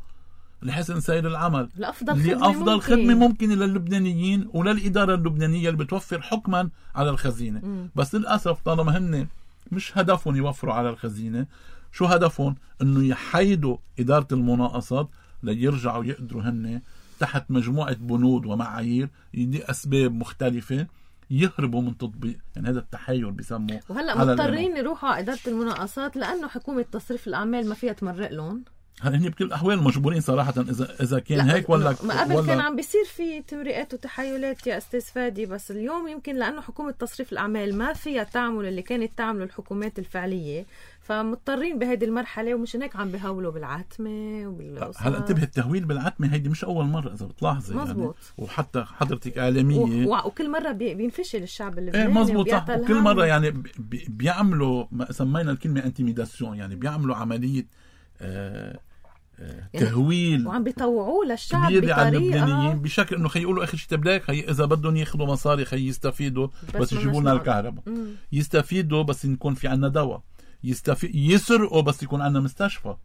لحسن سير العمل، لأفضل خدمة لأفضل ممكن. خدمة ممكنة للبنانيين وللإدارة اللبنانية اللي بتوفر حكما على الخزينة. م. بس للأسف طالما هن مش هدفهم يوفروا على الخزينة، شو هدفهم؟ انه يحيدوا إدارة المناقصات ليرجعوا يقدروا هن تحت مجموعة بنود ومعايير دي أسباب مختلفة يهربوا من تطبيق. يعني هذا التحير بيسموه. وهلأ مضطرين يروحوا على إدارة المناقصات لأنه حكومة تصريف الأعمال ما فيها تمرق لهم. هل هن بكل الأحوال مجبورين صراحة إذا إذا كان هيك ولا ما قبل ولا كان عم بيصير في تمريقات وتحايلات يا أستاذ فادي، بس اليوم يمكن لأنه حكومة تصريف الأعمال ما فيها تعمل اللي كانت تعمله الحكومات الفعلية، فمضطرين بهذه المرحلة، ومش هيك عم بيهولوا بالعتمة وبالقصص. هلا انتبه، التهويل بالعتمة هيدي مش أول مرة إذا بتلاحظي. مزبوط. يعني وحتى حضرتك إعلامية و... وكل مرة بي... بينفشل الشعب اللبناني. ايه مزبوط صح. وكل مرة يعني بي... بيعملوا ما سمينا الكلمة انتيميداسيون، يعني بيعملوا عملية آه يعني تهويل وعم بيطوعوه للشعب كبير على بطريقة اللبنانيين بشكل انه خيقولوا اخر شيء تبلاك هي اذا بدهم ياخذوا مصاري خي يستفيدوا بس, بس يجيبوا لنا الكهرباء، يستفيدوا بس يكون في عنا دواء، يستفيد يسرقوا بس يكون عنا مستشفى،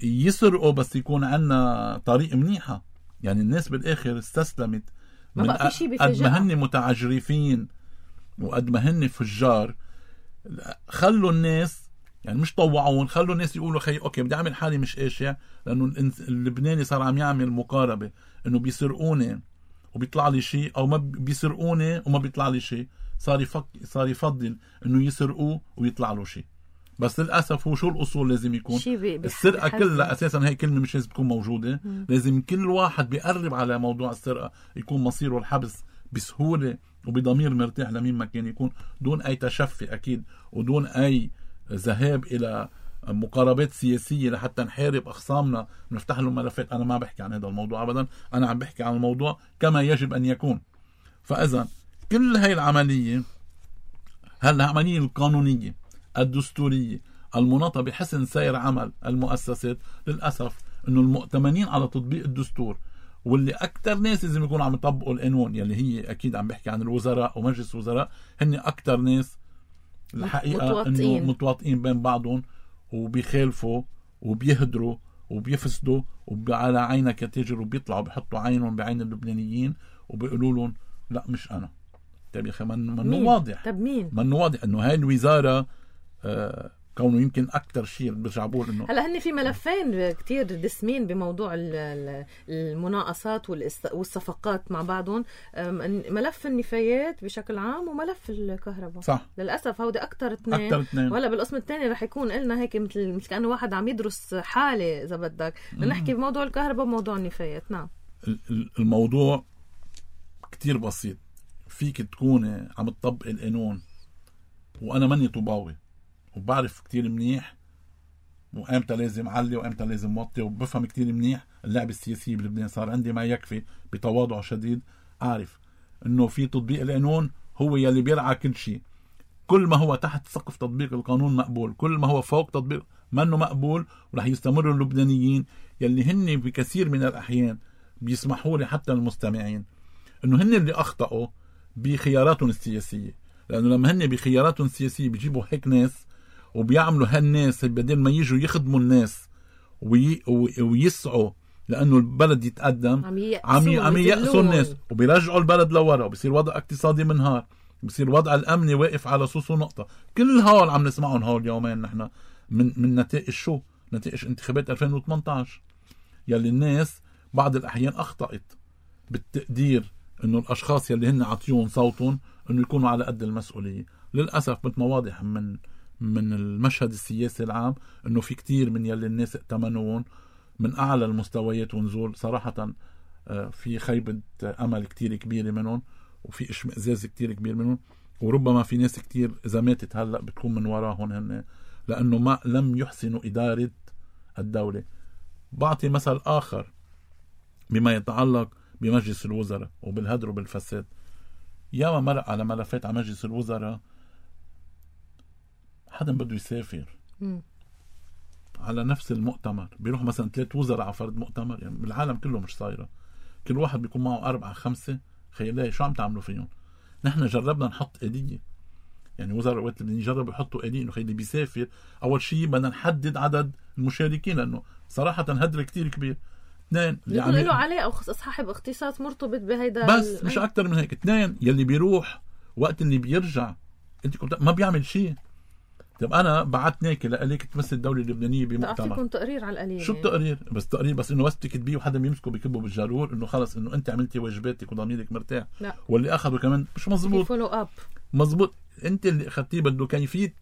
يسرقوا بس يكون عنا طريق منيحة. يعني الناس بالاخر استسلمت ما بقى في شيء بفجأة. قد ما هن متعجرفين وقد ما هن فجار، خلوا الناس يعني مش طوعون، خلوا الناس يقولوا خي اوكي بدي اعمل حالي مش قاشع، لانه اللبناني صار عم يعمل مقاربه انه بيسرقوني وبيطلع لي شيء، او ما بيسرقوني وما بيطلع لي شيء، صار يفك صار يفضل انه يسرقوه ويطلع له شيء. بس للاسف هو شو الاصول لازم يكون السرقه كلها اساسا هي كلمه مش لازم تكون موجوده. م. لازم كل واحد بيقرب على موضوع السرقه يكون مصيره الحبس بسهوله وبضمير مرتاح لمين ما كان يكون، دون اي تشفي اكيد ودون اي ذهاب الى مقاربات سياسيه لحتى نحارب اخصامنا ونفتح لهم ملفات. انا ما بحكي عن هذا الموضوع ابدا، انا عم بحكي عن الموضوع كما يجب ان يكون. فاذا كل هاي العمليه هالعمليه القانونيه الدستوريه المناطه بحسن سير عمل المؤسسات، للاسف انه المؤتمنين على تطبيق الدستور واللي اكثر ناس لازم يكونوا عم يطبقوا القانون، يلي هي اكيد عم بحكي عن الوزراء ومجلس الوزراء، هن اكثر ناس الحقيقة متواطئين. انه متواطئين بين بعضهم وبيخالفوا وبيهدروا وبيفسدوا وعلى عينك يا تاجر، وبيطلعوا بيحطوا عينهم بعين اللبنانيين وبيقولوا لهم لا مش انا. طيب يا اخي منه واضح. طب مين؟ منه واضح انه هاي الوزارة آه كونه يمكن اكثر شيء برجع بقول انه هلا هن في ملفين كتير دسمين بموضوع المناقصات والصفقات مع بعضهم، ملف النفايات بشكل عام وملف الكهرباء. صح. للاسف هودي اكثر اثنين، وهلا بالقسم الثاني رح يكون لنا هيك مثل مثل كانه واحد عم يدرس حاله اذا بدك، نحكي بموضوع الكهرباء وموضوع النفايات. نعم الموضوع كتير بسيط، فيك تكون عم تطبق القانون وانا ماني طوباوي وبعرف كتير منيح وامتى لازم علي وامتى لازم موطي، وبفهم كتير منيح اللعبة السياسية بلبنان. صار عندي ما يكفي بتواضع شديد اعرف انه في تطبيق القانون هو يلي بيرعى كل شيء. كل ما هو تحت سقف تطبيق القانون مقبول، كل ما هو فوق تطبيق منه مقبول. ورح يستمروا اللبنانيين يلي هن بكثير من الاحيان بيسمحوا لي حتى المستمعين انه هن اللي اخطأوا بخياراتهم السياسية، لانه لما هن بخياراتهم السياسية بيجيبوا هيك ناس وبيعملوا هالناس بدل ما يجوا يخدموا الناس وي... ويسعوا لانه البلد يتقدم، عم عم ييأسوا الناس وبيرجعوا البلد لورا، وبصير وضع اقتصادي منهار، بصير وضع الامني واقف على صوص ونقطه. كل هول عم نسمعهم هول يومين نحن من من نتائج شو؟ نتائج انتخابات ألفين وثمانية عشر يلي الناس بعض الاحيان اخطأت بالتقدير انه الاشخاص يلي هن عطيون صوتهم انه يكونوا على قد المسؤوليه. للاسف مثل ما واضح من من المشهد السياسي العام انه في كتير من يلي الناس ائتمنون من اعلى المستويات ونزول، صراحه في خيبه امل كتير كبيره منهم وفي اشمئزاز كتير كبير منهم، وربما في ناس كتير اذا ماتت هلا بتكون من وراهم هن، لانه ما لم يحسنوا اداره الدوله. بعطي مثل آخر بما يتعلق بمجلس الوزراء وبالهدر وبالفساد. ياما مرق على ملفات على مجلس الوزراء حدا بده يسافر م. على نفس المؤتمر بيروح مثلا ثلاث وزراء على فرد مؤتمر، يعني بالعالم كله مش صايرة، كل واحد بيكون معه أربعة خمسة. خيالي شو عم تعملوا فيهم؟ نحن جربنا نحط آلية، يعني وزراء وقت اللي يجربوا يحطوا آلية إنه خيالي بيسافر أول شيء بدنا نحدد عدد المشاركين، لأنه صراحة هدر كتير كبير. اثنين يكون له عليه أو صاحب اختصاص مرتبط بهيدا بس ال... مش أكتر من هيك. اثنين يلي بيروح وقت اللي بيرجع انت كنت ما بيعمل شيء. طب انا بعتناك لقليك تمثل الدوله اللبنانيه بمؤتمر، تعطيكم تقرير على القليل. شو التقرير؟ بس تقرير بس انه بس بتكتبيه وحدا بيمسكه بيكبه بالجارور انه خلص انه انت عملتي واجباتك وضميرك مرتاح. لا. واللي اخذه كمان مش مزبوط. فولو اب مزبوط. انت اللي اخذتيه بده كيفيه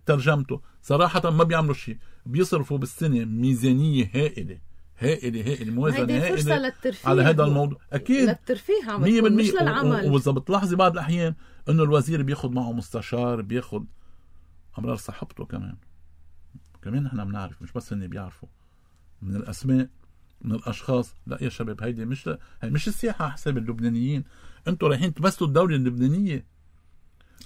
ترجمته. صراحه ما بيعملوا شيء، بيصرفوا بالسنه ميزانيه هائله هائله هائله موازنه هائله على هذا الموضوع. اكيد للترفيه عم بتكون مش للعمل. واذا بتلاحظي بعض الاحيان انه الوزير بياخذ معه مستشار، بياخذ امرار صاحبته كمان كمان نحن بنعرف، مش بس اني بيعرفوا من الاسماء من الاشخاص. لا يا شباب، هيدي مش ل... هي مش السياحه على حساب اللبنانيين. انتوا رايحين تمثلوا الدوله اللبنانيه.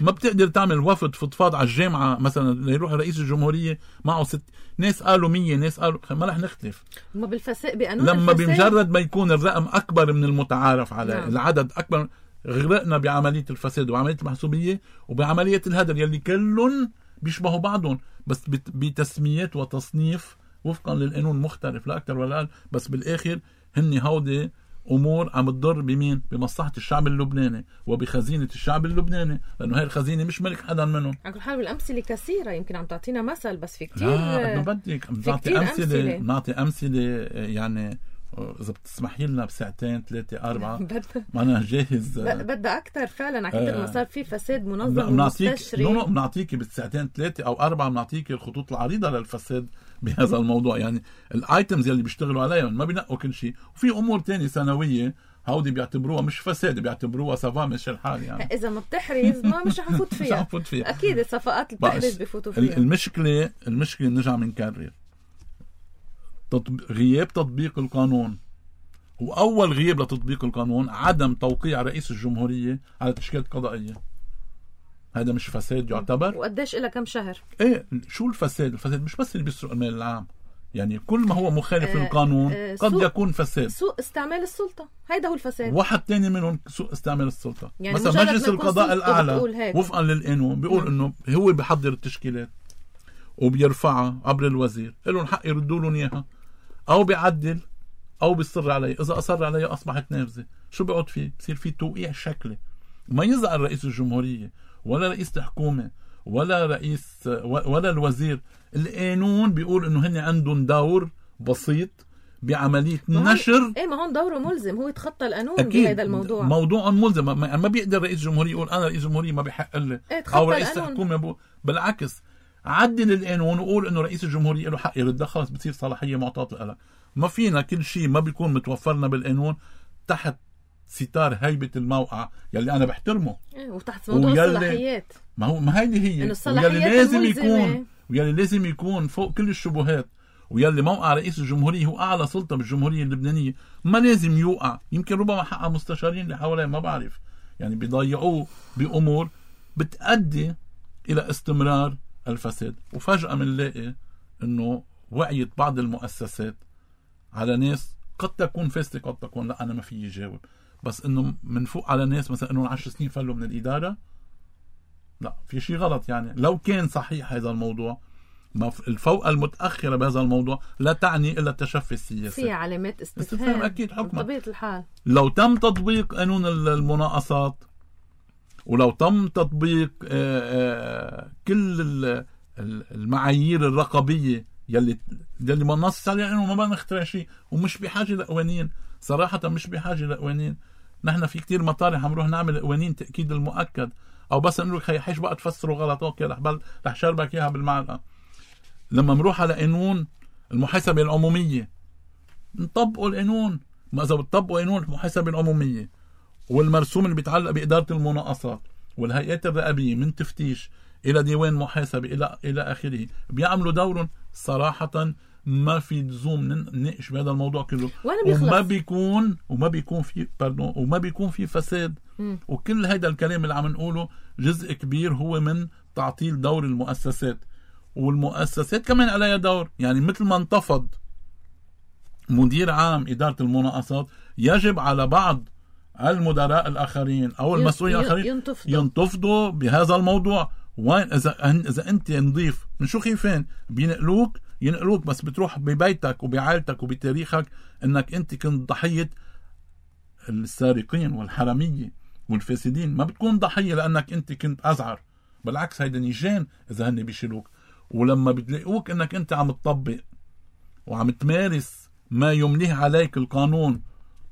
ما بتقدر تعمل وفد فضفاض على الجامعه مثلا ليروح رئيس الجمهوريه معه ست ناس قالوا مية ناس قالوا، ما رح نختلف. ما بالفساد بقانون لما الفساد بمجرد ما يكون الرقم اكبر من المتعارف عليه، نعم. العدد اكبر، غرقنا بعمليه الفساد وعمليه المحسوبيه وبعمليه الهدر يلي كلهم بيشبهوا بعضهم، بس بتسميات وتصنيف وفقا للقانون مختلف لا اكثر ولا اقل. بس بالاخر هن هودي امور عم تضر بمين؟ بمصلحه الشعب اللبناني وبخزينه الشعب اللبناني، لانه هاي الخزينه مش ملك حدا منهم. على كل حال بالامثله كثيره، يمكن عم تعطينا مثل بس في كثير. لا انه بدك نعطي امثله نعطي امثله يعني اذا بتسمحي لنا بساعتين ثلاثه اربعه ما انا جاهز. بدها اكثر فعلا على كثر ما صار في فساد منظم ومستشري. نو بنعطيكي بالساعتين ثلاثه او اربعه بنعطيكي الخطوط العريضه للفساد بهذا الموضوع. يعني الايتمز يلي بيشتغلوا عليهم ما بينقوا كل شيء، وفي امور تانية سنويه هودي بيعتبروها مش فساد، بيعتبروها صفاء مش الحال. يعني اذا ما بتحرز ما مش حفوت فيها. مش حفوت فيها اكيد الصفقات اللي بتحرز بفوتوا فيها. المشكله المشكله نرجع بنكرر تطبيق غياب تطبيق القانون. وأول غياب لتطبيق القانون عدم توقيع رئيس الجمهورية على تشكيلة قضائية. هذا مش فساد يعتبر؟ وقديش إلى كم شهر؟ إيه شو الفساد؟ الفساد مش بس اللي بيسرق المال العام، يعني كل ما هو مخالف آه للقانون آه قد يكون فساد. سوء استعمال السلطة، هيدا هو الفساد. واحد تاني منهم سوء استعمال السلطة. يعني مثلا مجلس القضاء الأعلى وفقا للقانون بيقول إنه هو بيحضر التشكيلات وبيرفعها عبر الوزير، لهم حق يردوا لهم إياها، أو بيعدل او بيصر عليه. اذا اصر عليه اصبحت نافذه. شو بيقعد فيه؟ بصير فيه توقيع شكلي. ما يزعل رئيس الجمهوريه ولا رئيس الحكومه ولا رئيس ولا الوزير. القانون بيقول انه هن عندهم دور بسيط بعمليه نشر. ايه ما هون دوره ملزم، هو يتخطى القانون بهذا الموضوع. موضوع ملزم. ما بيقدر رئيس الجمهوريه يقول انا رئيس الجمهوريه ما بحق لي، إيه او رئيس الحكومه بقول. بالعكس عدل القانون وقول انه رئيس الجمهوريه له حق يرد، خلص بتصير صلاحيه معطاه له. ما فينا كل شيء ما بيكون متوفرنا بالقانون تحت ستار هيبة الموقع يلي أنا بحترمه. إيه وتحت موضوع الصلاحيات. ما هو ما هيدي هي. ويلي لازم يكون ويلي لازم يكون فوق كل الشبهات. ويلي موقع رئيس الجمهورية هو أعلى سلطة بالجمهورية اللبنانية، ما لازم يوقع. يمكن ربما حق مستشارين اللي حواليه ما بعرف، يعني بيضيعوه بأمور بتؤدي إلى استمرار الفساد. وفجأة منلاقي إنه وعيت بعض المؤسسات على ناس قد تكون فاسدة قد تكون لا، أنا ما فيي جاوب، بس إنه من فوق على ناس مثلا إنه عشر سنين فلوا من الإدارة. لا، في شيء غلط. يعني لو كان صحيح هذا الموضوع، ما الفوق المتأخرة بهذا الموضوع لا تعني إلا التشفي السياسي. في علامات استفهام أكيد حكما. بطبيعة الحال لو تم تطبيق قانون المناقصات ولو تم تطبيق كل المعايير الرقابية يلي يلي ما نص عليه انه ما بنخترع شيء، ومش بحاجه لقوانين. صراحه مش بحاجه لقوانين. نحن في كتير مطارح عم نروح نعمل قوانين تاكيد المؤكد، او بس نقول لك حيش بقى تفسروا غلط، اوكي رح بل رح شربك اياها بالمعلقه. لما نروح على قانون المحاسبه العموميه نطبقوا القانون. ما اذا بتطبقوا قانون المحاسبه العموميه والمرسوم اللي بيتعلق باداره المناقصات والهيئات الرقابيه من تفتيش الى ديوان محاسبه الى الى اخره بيعملوا دورهم صراحه ما في لزوم نناقش بهذا الموضوع كله، وما بيكون وما بيكون في باردون وما بيكون في فساد. م. وكل هذا الكلام اللي عم نقوله جزء كبير هو من تعطيل دور المؤسسات، والمؤسسات كمان عليها دور. يعني مثل ما انتفض مدير عام إدارة المناقصات، يجب على بعض المدراء الآخرين أو المسؤولين الآخرين ينتفضوا. ينتفضوا بهذا الموضوع. وين إذا إذا أنت نظيف من شو خيفان بينقلوك ينقلوك، بس بتروح ببيتك وبعائلتك وبتاريخك إنك أنت كنت ضحية السارقين والحرامية والفاسدين. ما بتكون ضحية لأنك أنت كنت أزعر، بالعكس هيدا نيجان إذا هن بيشيلوك. ولما بتلاقوك إنك أنت عم تطبق وعم تمارس ما يمليه عليك القانون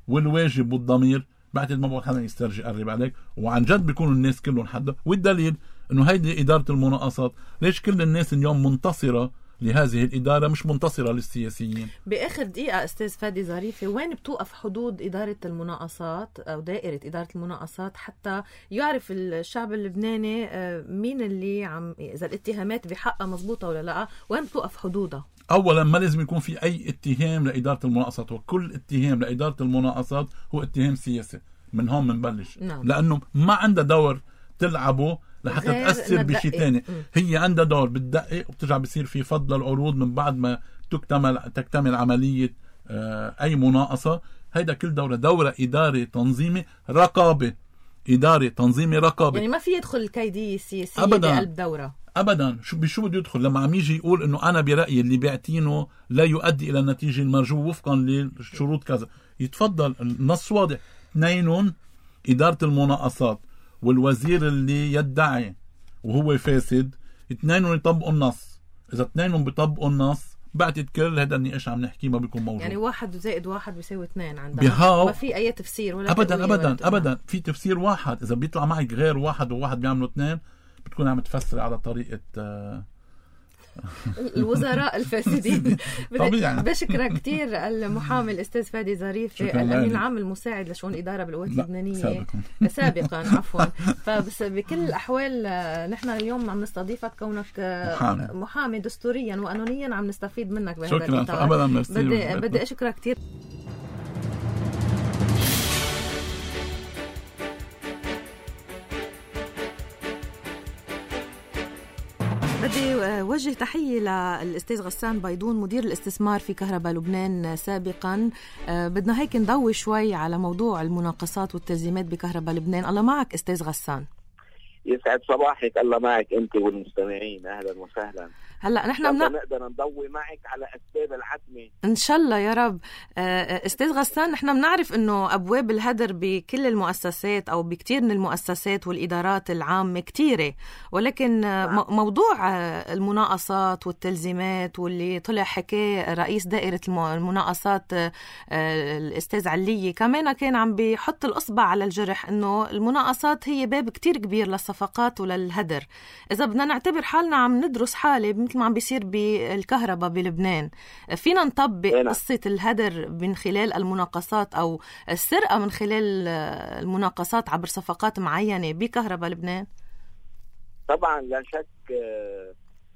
والواجب والضمير، بعتقد ما بقى حدا يسترجي يقرب عليك، وعن جد بيكونوا الناس كلهم حدا. والدليل انه هيدي إدارة المناقصات، ليش كل الناس اليوم منتصرة لهذه الإدارة مش منتصرة للسياسيين؟ بآخر دقيقة أستاذ فادي ظريفي، وين بتوقف حدود إدارة المناقصات أو دائرة إدارة المناقصات حتى يعرف الشعب اللبناني مين اللي عم إذا الاتهامات بحقها مزبوطة ولا لا؟ وين بتوقف حدودها؟ أولا ما لازم يكون في أي اتهام لإدارة المناقصات، وكل اتهام لإدارة المناقصات هو اتهام سياسي. من هون منبلش. نعم. لأنه ما عندها دور تلعبه لحتى تأثر بشيء تاني. هي عندها دور بتدقق وبترجع بصير في فضل العروض من بعد ما تكتمل تكتمل عملية أي مناقصة. هيدا كل دورة دورة إدارة تنظيمي رقابة، إدارة تنظيمي رقابة. يعني ما في يدخل الكيدية السياسية بقلب دورة أبدا. شو بشو بده يدخل لما عم يجي يقول إنه أنا برأيي اللي بيعتينه لا يؤدي إلى النتيجة المرجوة وفقا للشروط كذا، يتفضل. النص واضح. اثنين، إدارة المناقصات والوزير اللي يدعي وهو فاسد، اثنين يطبقوا النص. إذا اثنين بيطبقوا النص بعتقد كل هذا النقاش عم نحكيه ما بيكون موجود. يعني واحد زائد واحد بيساوي اثنين عندنا، ما في أي تفسير ولا أبدا أبدا ولا أبدا. في تفسير واحد، إذا بيطلع معك غير واحد وواحد بيعملوا اثنين بتكون عم تفسر على طريقة الوزراء الفاسدين. طبيعي. بشكرك كتير المحامي الأستاذ فادي ظريفي، الأمين العام المساعد لشؤون الإدارة بالقوات اللبنانية سابقا, سابقا عفوا. فبس بكل الأحوال نحن اليوم عم نستضيفك كونك محامي, محامي دستوريا وقانونيا، عم نستفيد منك بهذا الإطار. شكرا. أبدا. بدي, بدي أشكرك كتير. بدي وجه تحية للأستاذ غسان بيضون مدير الاستثمار في كهرباء لبنان سابقا. بدنا هيك نضوي شوي على موضوع المناقصات والتزييمات بكهرباء لبنان. الله معك أستاذ غسان. يسعد صباحك. الله معك أنت والمستمعين. أهلا وسهلا. هلا نحن منا... نقدر نضوي معك على أسباب العتمة إن شاء الله يا رب. أستاذ غسان، نحن بنعرف إنه أبواب الهدر بكل المؤسسات أو بكتير من المؤسسات والإدارات العامة كتيرة، ولكن نعم. موضوع المناقصات والتلزيمات واللي طلع حكاه رئيس دائرة المناقصات الأستاذ علية كمان كان عم بيحط الأصبع على الجرح، إنه المناقصات هي باب كتير كبير للصفقات وللهدر. إذا بدنا نعتبر حالنا عم ندرس حالة مثل ما عم بيصير بالكهرباء بلبنان، فينا نطبق قصة الهدر من خلال المناقصات أو السرقة من خلال المناقصات عبر صفقات معينة بكهرباء لبنان؟ طبعا لا شك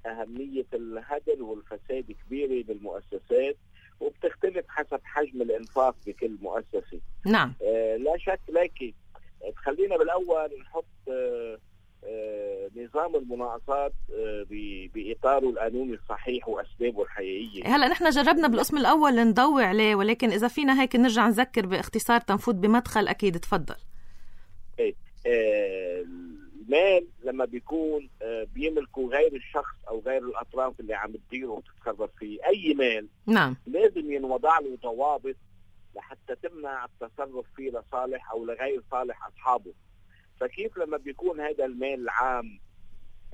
أهمية الهدر والفساد كبيرة بالمؤسسات، وبتختلف حسب حجم الإنفاق بكل مؤسسة. نعم. لا شك. لكن خلينا بالأول نحط آه نظام المناقصات آه بإطاره القانوني الصحيح وأسبابه الحقيقية. هلأ نحن جربنا بالقسم الأول نضوي عليه، ولكن إذا فينا هيك نرجع نذكر باختصار تنفوت بمدخل أكيد. تفضل. آه المال لما بيكون آه بيملكه غير الشخص أو غير الأطراف اللي عم تديره وتتصرف فيه، أي مال نعم لازم ينوضع له ضوابط لحتى تمنع التصرف فيه لصالح أو لغير صالح أصحابه. فكيف لما بيكون هذا المال العام،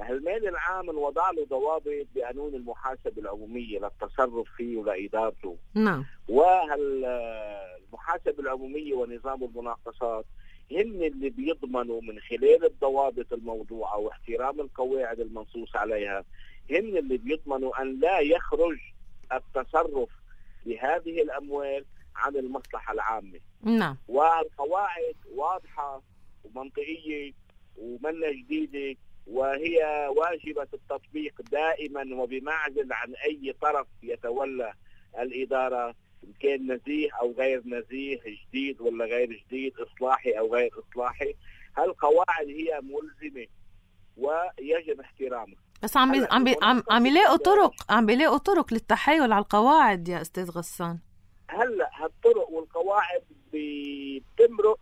المال العام وضع له ضوابط بقانون المحاسبة العمومية للتصرف فيه ولإدارته. نعم. والمحاسبة العمومية ونظام المناقصات هن اللي بيضمنوا من خلال الضوابط الموضوعة واحترام القواعد المنصوص عليها، هن اللي بيضمنوا أن لا يخرج التصرف بهذه الأموال عن المصلحة العامة. نعم. والقواعد واضحة ومنطقية ومنة جديدة، وهي واجبة التطبيق دائما وبمعزل عن أي طرف يتولى الإدارة، إن كان نزيه أو غير نزيه، جديد ولا غير جديد، إصلاحي أو غير إصلاحي. هالقواعد هي ملزمة ويجب احترامها. بس عم عم عم عم يلاقوا طرق عم بيلاقوا طرق للتحايل على القواعد يا أستاذ غسان. هلا هالطرق والقواعد بتمرق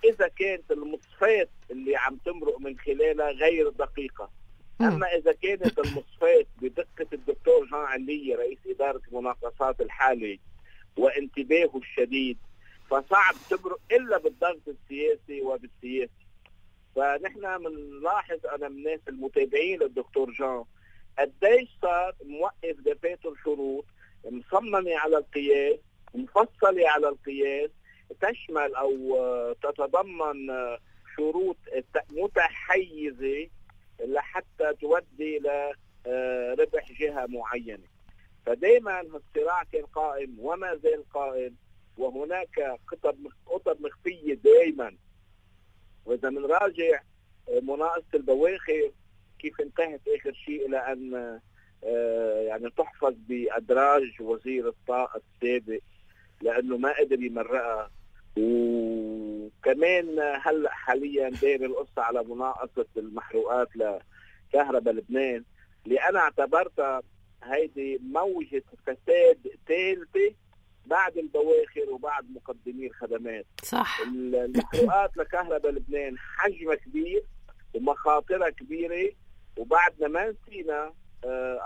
إذا كانت المصفات اللي عم تمرق من خلالها غير دقيقة. أما إذا كانت المصفات بدقة الدكتور جان علية رئيس إدارة المناقصات الحالي وانتباهه الشديد، فصعب تمرق إلا بالضغط السياسي وبالسياسي. فنحن بنلاحظ أنا من الناس المتابعين للدكتور جان قديش صار موقف دفاتر شروط مصممة على القياس، مفصلة على القياس، تشمل أو تتضمن شروط متحيزة لحتى تودي لربح جهة معينة. فدائما الصراع كان قائم وما زال قائم، وهناك قطب مخفية دائما. وإذا منراجع مناقصة البواخر كيف انتهت آخر شيء إلى أن يعني تحفظ بأدراج وزير الطاقة السابق لأنه ما قدر يمرقها. وكمان هلأ حاليا داير القصة على مناقصة المحروقات لكهرباء لبنان، اللي أنا اعتبرتها هيدي موجة فساد ثالثة بعد البواخر وبعد مقدمي الخدمات. صح. المحروقات لكهرباء لبنان حجمها كبير ومخاطرها كبيرة، وبعدنا ما نسينا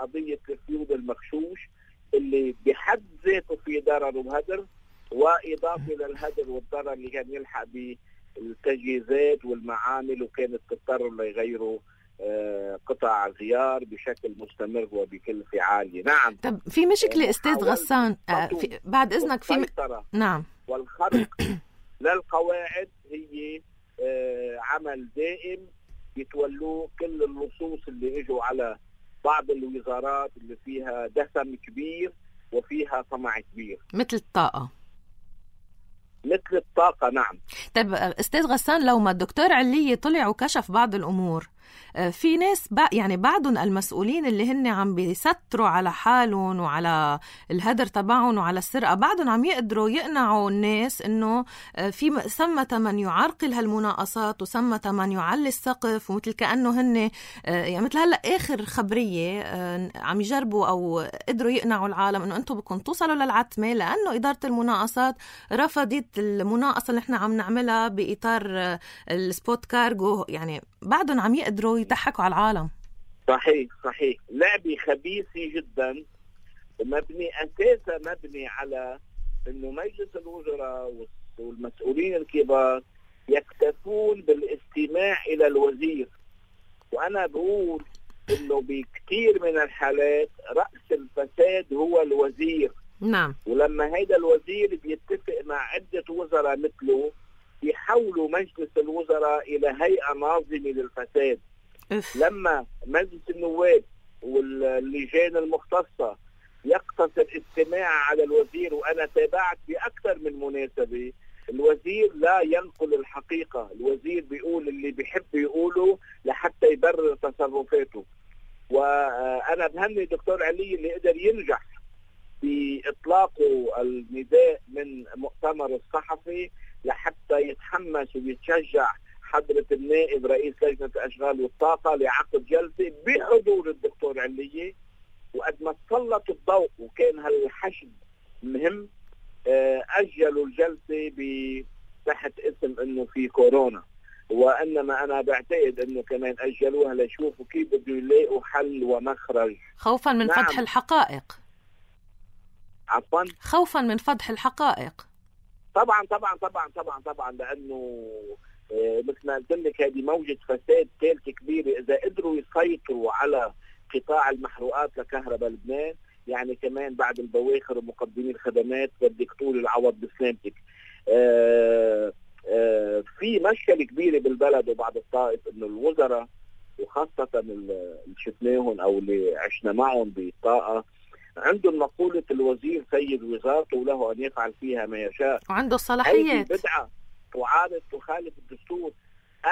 قضية الفيوض المغشوش اللي بحد ذاته في ضرر وهدر، وإضافة للهدر والضرر اللي كان يلحق بالتجهيزات والمعامل، وكانت تضطر ليغيروا قطع غيار بشكل مستمر وبكلفة عالية. نعم. طب في مشكلة أستاذ غسان في بعد إذنك في م... نعم والخرق للقواعد هي عمل دائم يتولوه كل اللصوص اللي اجوا على بعض الوزارات اللي فيها دسم كبير وفيها طمع كبير، مثل الطاقة. مثل الطاقة نعم. طيب أستاذ غسان، لو ما الدكتور علية طلع وكشف بعض الأمور، في ناس يعني بعضهم المسؤولين اللي هن عم بيستروا على حالهم وعلى الهدر تبعهم وعلى السرقة، بعضهم عم يقدروا يقنعوا الناس إنه في ثمة من يعرقل هالمناقصات وثمة من يعلي السقف، ومثل كأنه هن يعني مثل هلأ آخر خبرية عم يجربوا أو قدروا يقنعوا العالم إنه أنتم بدكم توصلوا للعتمة لأنه إدارة المناقصات رفضت المناقصة اللي احنا عم نعملها بإطار السبوت كارغو. يعني بعضهم عم يقدروا يضحكوا على العالم. صحيح صحيح. لعبة خبيثة جدا، مبني أساسا مبني على إنه مجلس الوزراء والمسؤولين الكبار يكتفون بالاستماع إلى الوزير. وأنا بقول إنه بكثير من الحالات رأس الفساد هو الوزير. نعم. ولما هيدا الوزير بيتفق مع عدة وزراء مثله يحولوا مجلس الوزراء إلى هيئة ناظمة للفساد. إف. لما مجلس النواب واللجان المختصة يقتصر استماع على الوزير، وأنا تابعت بأكثر من مناسبة، الوزير لا ينقل الحقيقة، الوزير بيقول اللي بيحب يقوله لحتى يبرر تصرفاته. وأنا بهني دكتور علي اللي قدر ينجح بإطلاقه النداء من مؤتمر الصحفي لحتى يتحمس ويتشجع حضرة النائب رئيس لجنة الأشغال والطاقة لعقد جلسة بحضور الدكتور علية. وقد ما سلط الضوء وكان هالحشد مهم، أجلوا الجلسة تحت اسم إنه في كورونا، وإنما أنا بعتقد إنه كمان أجلوها ليشوفوا كيف بده يلاقوا حل ومخرج خوفا من نعم. فضح الحقائق. عفوا خوفا من فضح الحقائق. طبعا طبعا طبعا طبعا طبعا لأنه مثل ما قلت لك هذه موجة فساد ثالثة كبيرة. إذا قدروا يسيطروا على قطاع المحروقات لكهرباء لبنان، يعني كمان بعد البواخر ومقدمي الخدمات بدك طول العوض بسلامتك. آآ آآ في مشكلة كبيرة بالبلد وبعد الطائف إنه الوزراء وخاصة اللي شفناهم أو اللي عشنا معهم بالطاقة عندهم مقولة الوزير سيد وزارته وله أن يفعل فيها ما يشاء، وعنده الصلاحيات. بدعة تعارض تخالف الدستور.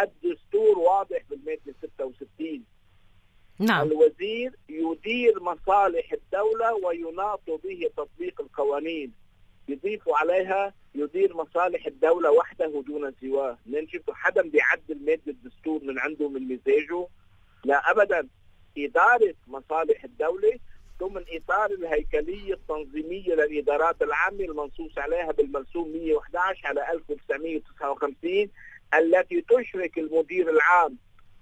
الدستور واضح بالمادة ستة وستين نعم. الوزير يدير مصالح الدولة ويناط به تطبيق القوانين. يضيفوا عليها يدير مصالح الدولة وحده دون سواه. نشوف حدا بيعدل مادة الدستور من عنده من مزاجه؟ لا أبدا. إدارة مصالح الدولة ضمن إطار الهيكلية التنظيمية للإدارات العامة المنصوص عليها بالمرسوم مئة وأحد عشر على ألف وتسعمئة وتسعة وخمسين، التي تشرك المدير العام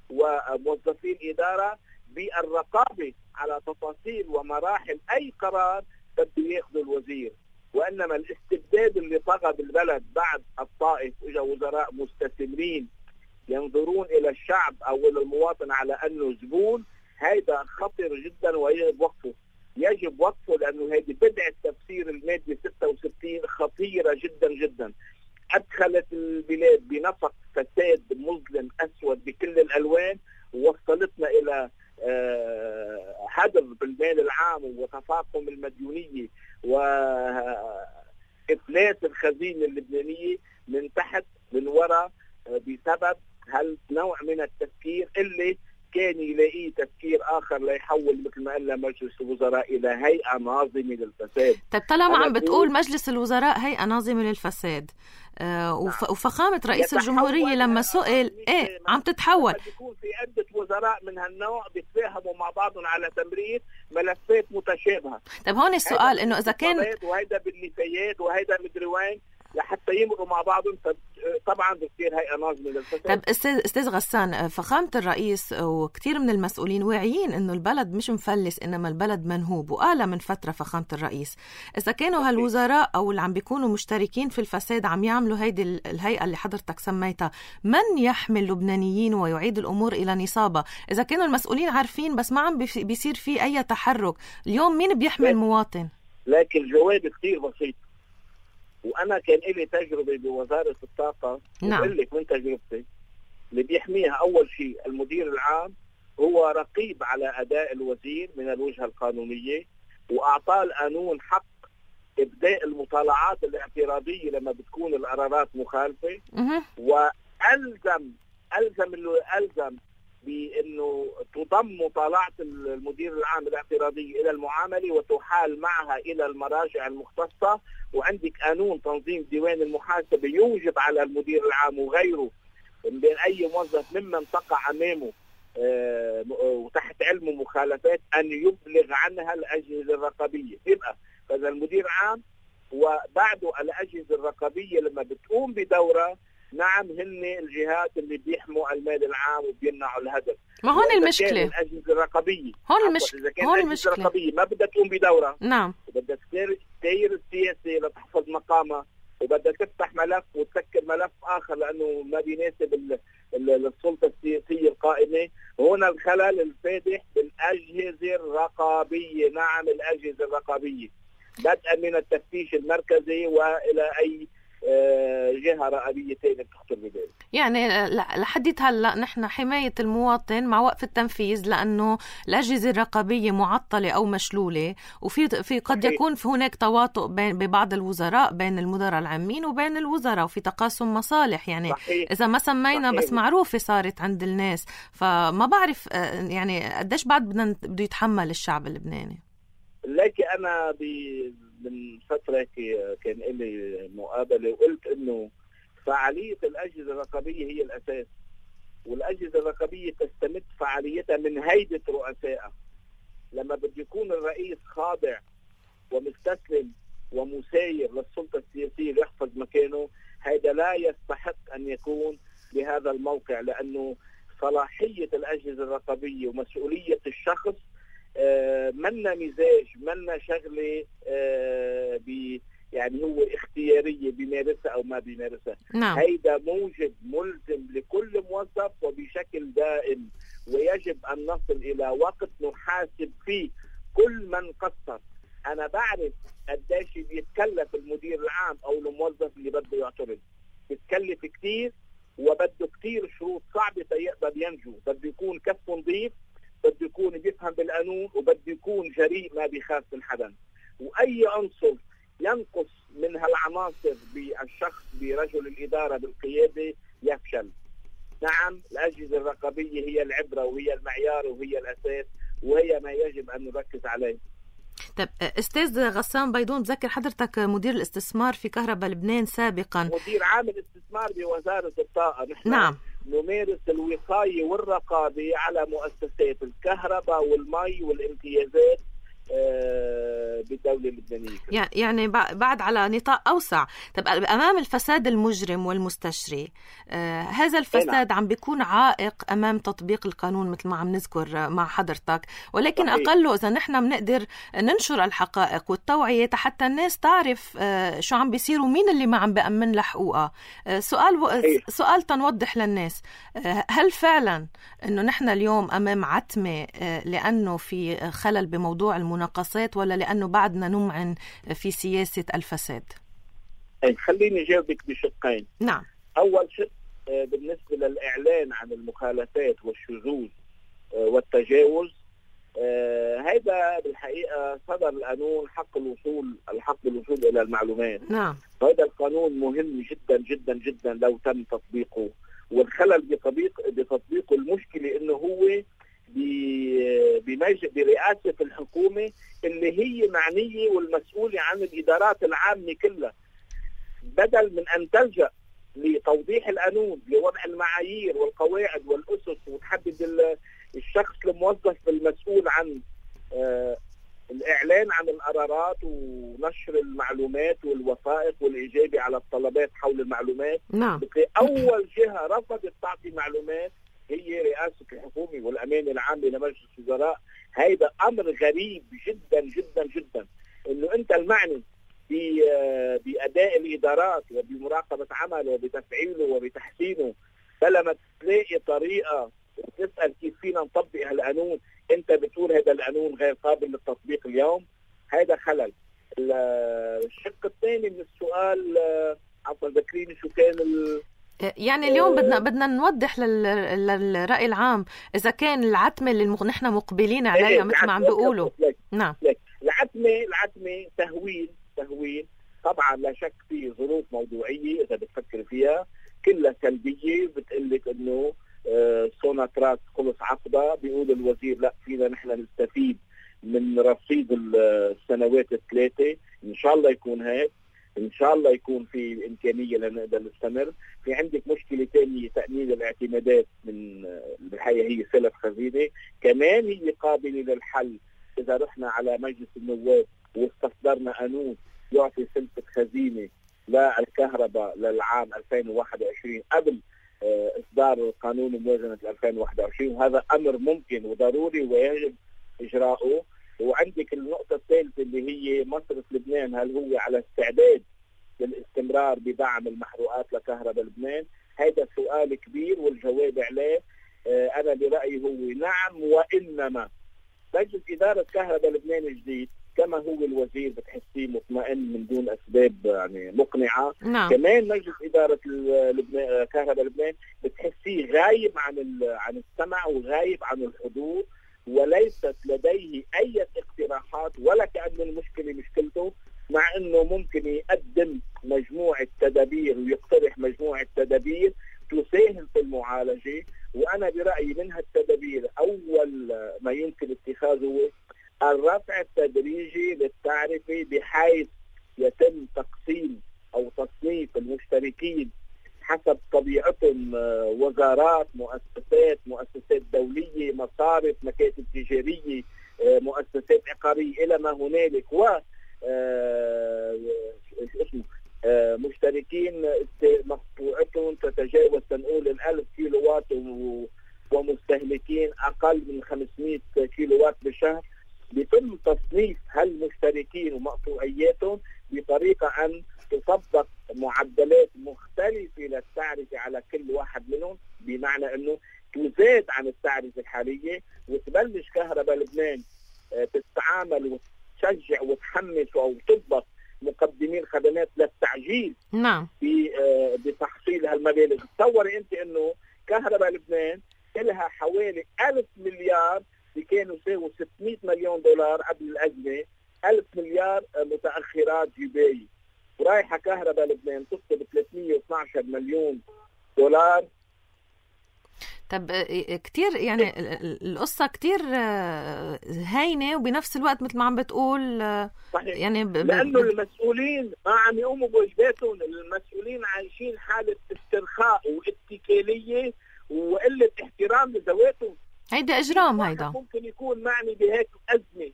وموظفين إدارة بالرقابة على تفاصيل ومراحل أي قرار بده ياخذه الوزير. وإنما الاستبداد اللي طغى بالبلد بعد الطائف إجا وزراء مستثمرين ينظرون إلى الشعب أو إلى المواطن على أنه زبون، هذا خطر جدا ويجب وقفه. يجب وقفه لأنه هذه بدعة تفسير المادة ستة وستين خطيرة جدا جدا. أدخلت البلاد بنفق فساد مظلم أسود بكل الألوان، ووصلتنا إلى هدر بالمال العام وتفاقم المديونية وإفلاس الخزينة اللبنانية من تحت من وراء بسبب هالنوع من التفكير اللي كان يلاقيه تفكير آخر ليحول مثل ما قلنا مجلس الوزراء إلى هيئة ناظمة للفساد. طيب طالما عم بتقول مجلس الوزراء هيئة ناظمة للفساد، آه وف... وفخامة رئيس الجمهورية لما سئل ايه عم تتحول، يكون في عدة وزراء من هالنوع بيتفاهموا مع بعضهم على تمرير ملفات متشابهة. طيب هون السؤال انه اذا كان وهيدا بالنفايات وهيدا مدري وين لحتى يمروا مع بعضهم، طبعا بتصير هيئة ناظمة للفساد. طيب استاذ غسان، فخامة الرئيس وكثير من المسؤولين واعيين انه البلد مش مفلس انما البلد منهوب، وقال من فترة فخامة الرئيس اذا كانوا هالوزراء او اللي عم بيكونوا مشتركين في الفساد عم يعملوا هيدي الهيئة اللي حضرتك سميتها، من يحمل اللبنانيين ويعيد الامور الى نصابها؟ اذا كانوا المسؤولين عارفين بس ما عم بيصير في اي تحرك، اليوم مين بيحمل المواطن؟ لكن الجواب كثير بسيط، وأنا كان لي تجربة بوزارة الطاقة. نعم. وأقول لك من تجربتي اللي بيحميها أول شيء المدير العام، هو رقيب على أداء الوزير من الوجهة القانونية، وأعطاه القانون حق إبداء المطالعات الاعتراضية لما بتكون القرارات مخالفة، وألزم ألزم ألزم بأنه تضم مطالعة المدير العام الاعتراضية إلى المعاملة وتحال معها إلى المراجع المختصة. وعندك قانون تنظيم ديوان المحاسبة يوجب على المدير العام وغيره بين أي موظف ممن تقع أمامه أه وتحت علمه مخالفات أن يبلغ عنها الأجهزة الرقابية. يبقى فإذا المدير العام وبعده الأجهزة الرقابية لما بتقوم بدورة، نعم هن الجهات اللي بيحموا المال العام وبيمنعوا الهدف. ما هون المشكلة الأجهزة الرقابية هون المشكلة إذا كانت الأجهزة الرقابية ما بدها تقوم بدورة، نعم وبدها تسير السياسة لتحفظ مقامها، وبدها تفتح ملف وتسكر ملف آخر لأنه ما بيناسب السلطة السياسية القائمة. هنا الخلل الفادح بالأجهزة الرقابية. نعم الأجهزة الرقابية بدءا من التفتيش المركزي وإلى أي جهة رقابية تانية بتخطر ببالي. يعني لحديت هلا نحن حماية المواطن مع وقف التنفيذ، لأنه الأجهزة الرقابية معطلة أو مشلولة، وفي في قد صحيح. يكون في هناك تواطؤ بين ببعض الوزراء بين المدراء العامين وبين الوزراء، وفي تقاسم مصالح. يعني صحيح. إذا ما سمينا صحيح. بس معروفة صارت عند الناس، فما بعرف يعني قديش بعد بدنا بده يتحمل الشعب اللبناني. لكن أنا من فترة كان لي مقابلة وقلت إنه فعالية الأجهزة الرقابية هي الأساس، والأجهزة الرقابية تستمد فعاليتها من هيبة رؤسائها. لما بده يكون الرئيس خاضع ومستسلم ومساير للسلطة السياسية ليحفظ مكانه، هذا لا يستحق أن يكون بهذا الموقع، لأنه صلاحية الأجهزة الرقابية ومسؤولية الشخص آه منا مزاج منا شغلة آه بي يعني هو اختيارية بيمارسها أو ما بيمارسها. نعم. هيدا موجب ملزم لكل موظف وبشكل دائم، ويجب أن نصل إلى وقت نحاسب فيه كل من قصر. أنا بعرف قديش بيتكلف المدير العام أو الموظف اللي بده يعترض، بيتكلف كتير وبده كتير شروط صعبة يقدر ينجو. بده يكون كف نظيف، بده يكون بيفهم بالقانون، وبده يكون جريء ما بيخاف من حدا. وأي عنصر ينقص من هالعناصر بالشخص برجل الإدارة بالقيادة يفشل. نعم الأجهزة الرقابية هي العبرة وهي المعيار وهي الأساس وهي ما يجب أن نركز عليه. طيب أستاذ غسان بيضون، بذكر حضرتك مدير الاستثمار في كهرباء لبنان سابقا، مدير عام الاستثمار بوزارة الطاقة. نحن نعم نمارس الوقاية والرقابة على مؤسسات الكهرباء والمي والامتيازات بالدولة اللبنانية. يعني بعد على نطاق أوسع. طب أمام الفساد المجرم والمستشري، آه هذا الفساد عم بيكون عائق أمام تطبيق القانون مثل ما عم نذكر مع حضرتك، ولكن صحيح. أقله إذا نحن بنقدر ننشر الحقائق والتوعية حتى الناس تعرف آه شو عم بيصير ومين اللي ما عم بأمن لحقوقها. آه سؤال و... سؤال تنوضح للناس، آه هل فعلا إنه نحن اليوم أمام عتمة آه لأنه في خلل بموضوع المناقصات، ولا لأنه بعدنا نمعن في سياسة الفساد؟ خليني جاوبك بشقين. نعم. أول شق بالنسبة للإعلان عن المخالفات والشذوذ والتجاوز، هذا بالحقيقة صدر القانون حق الوصول الحق الوصول إلى المعلومات. نعم. هذا القانون مهم جدا جدا جدا لو تم تطبيقه، والخلل بتطبيق بتطبيقه المشكلة إنه هو برئاسة الحكومة اللي هي معنية والمسؤولة عن الإدارات العامة كلها، بدل من أن تلجأ لتوضيح القانون لوضع المعايير والقواعد والأسس وتحدد الشخص الموظف المسؤول عن الإعلان عن القرارات ونشر المعلومات والوثائق والإجابة على الطلبات حول المعلومات. نعم. أول جهة رفضت تعطي معلومات هي رئاسة الحكومة والأمانة العامة لمجلس الوزراء. هذا أمر غريب جدا جدا جدا، إنه أنت المعني بأداء الإدارات وبمراقبة عمله وبتفعيله وبتحسينه، فلما تلاقي طريقة تسأل كيف فينا نطبق هالقانون أنت بتقول هذا القانون غير قابل للتطبيق اليوم. هذا خلل. الشق الثاني من السؤال، عفوا ذكريني شو كان ال يعني اليوم بدنا بدنا نوضح للرأي العام إذا كان العتمة اللي نحن مقبلين عليها مثل ما عم بيقولوا. نعم. العتمة العتمة تهويل تهويل طبعا لا شك في ظروف موضوعية إذا بتفكر فيها كلها سلبية، بتقلك إنه سوناتراك خلص عقبة، بيقول الوزير لا فينا نحن نستفيد من رصيد السنوات الثلاثة. إن شاء الله يكون هيك، إن شاء الله يكون في إمكانية لنقدر نستمر. في عندك مشكلة تانية تأمين الاعتمادات من بالحقيقة هي سلف خزينة، كمان هي قابلة للحل إذا رحنا على مجلس النواب واستخدرنا قانون يعطي سلفة خزينة للكهرباء للعام ألفين وواحد وعشرين قبل إصدار قانون موازنة ألفين وواحد وعشرين، وهذا أمر ممكن وضروري ويجب إجراؤه. وعندك النقطة الثالثة اللي هي مصرف لبنان، هل هو على استعداد للاستمرار بدعم المحروقات لكهرباء لبنان؟ هذا سؤال كبير والجواب عليه أنا برأيي هو نعم، وإنما مجلس إدارة كهرباء لبنان الجديد كما هو الوزير بتحسيه مطمئن من دون أسباب يعني مقنعة. نعم. كمان مجلس إدارة لبنان كهرباء لبنان بتحسيه غايب عن عن السمع وغايب عن الحضور، وليست لديه أي اقتراحات ولا كأن المشكلة مشكلته، مع أنه ممكن يقدم مجموعة تدابير ويقترح مجموعة تدابير تساهم في المعالجة. وأنا برأيي من هالتدابير أول ما يمكن اتخاذه الرفع التدريجي للتعرفة بحيث يتم تقسيم أو تصنيف المشتركين حسب طبيعتهم، وزارات، مؤسسات، مؤسسات دولية، مصارف، مكاتب تجارية، مؤسسات عقارية إلى ما هنالك، و اسمه مشتركين مقطوعتهم تتجاوز تنقول الألف كيلو وات ومستهلكين أقل من خمسمائة كيلو وات بالشهر. بيتم تصنيف هالمشتركين ومقطوعياتهم بطريقة أن تطبق معدلات مختلفة للتعرفة على كل واحد منهم، بمعنى أنه تزاد عن التعرفة الحالية وتبلش كهرباء لبنان تتعامل وتشجع وتحمس أو تضبط مقدمين خدمات للتعجيل. نعم. بتحصيل هالمبالغ. تصوري أنت أنه كهرباء لبنان لها حوالي ألف مليار، كانوا يساووا ستمائة مليون دولار قبل الأزمة، ألف مليار متأخرات جباية، ورايحة كهرباء لبنان تطلب ثلاثمائة واثني عشر مليون دولار طب كتير يعني القصة كتير هينة وبنفس الوقت مثل ما عم بتقول صحيح. يعني ب... لأنه المسؤولين ما عم يقوموا بواجباتهم، المسؤولين عايشين حالة استرخاء واتكالية وقلة احترام لذواتهم. هيدا إجرام. هيدا ممكن يكون معني بهيك أزمة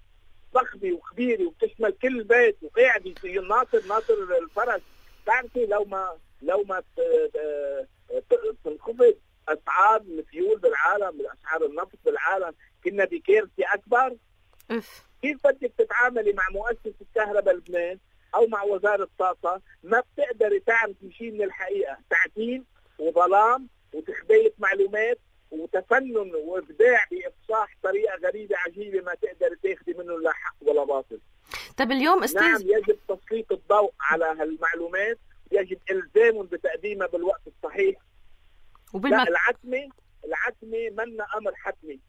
ضخمة وكبيرة وبتشمل كل البيت وقاعد يصير ناطر ناطر الفرج. تعرفي لو ما لو ما تنخفض أسعار الفيول بالعالم، أسعار النفط بالعالم، كنا بكارثة أكبر. أف. كيف بدك تتعاملي مع مؤسسة كهرباء لبنان أو مع وزارة الطاقة؟ ما بتقدري تعرفي شيء من الحقيقة، تعتيم وظلام وتخبية معلومات وتفنن وإبداع بإفصاح طريقة غريبة عجيبة ما تقدر تاخدي منه لا حق ولا باطل. طب اليوم استاذ، نعم يجب تسليط الضوء على هالمعلومات، يجب إلزامهم بتقديمها بالوقت الصحيح. وبالم... لا العتمة العتمة منا أمر حتمي،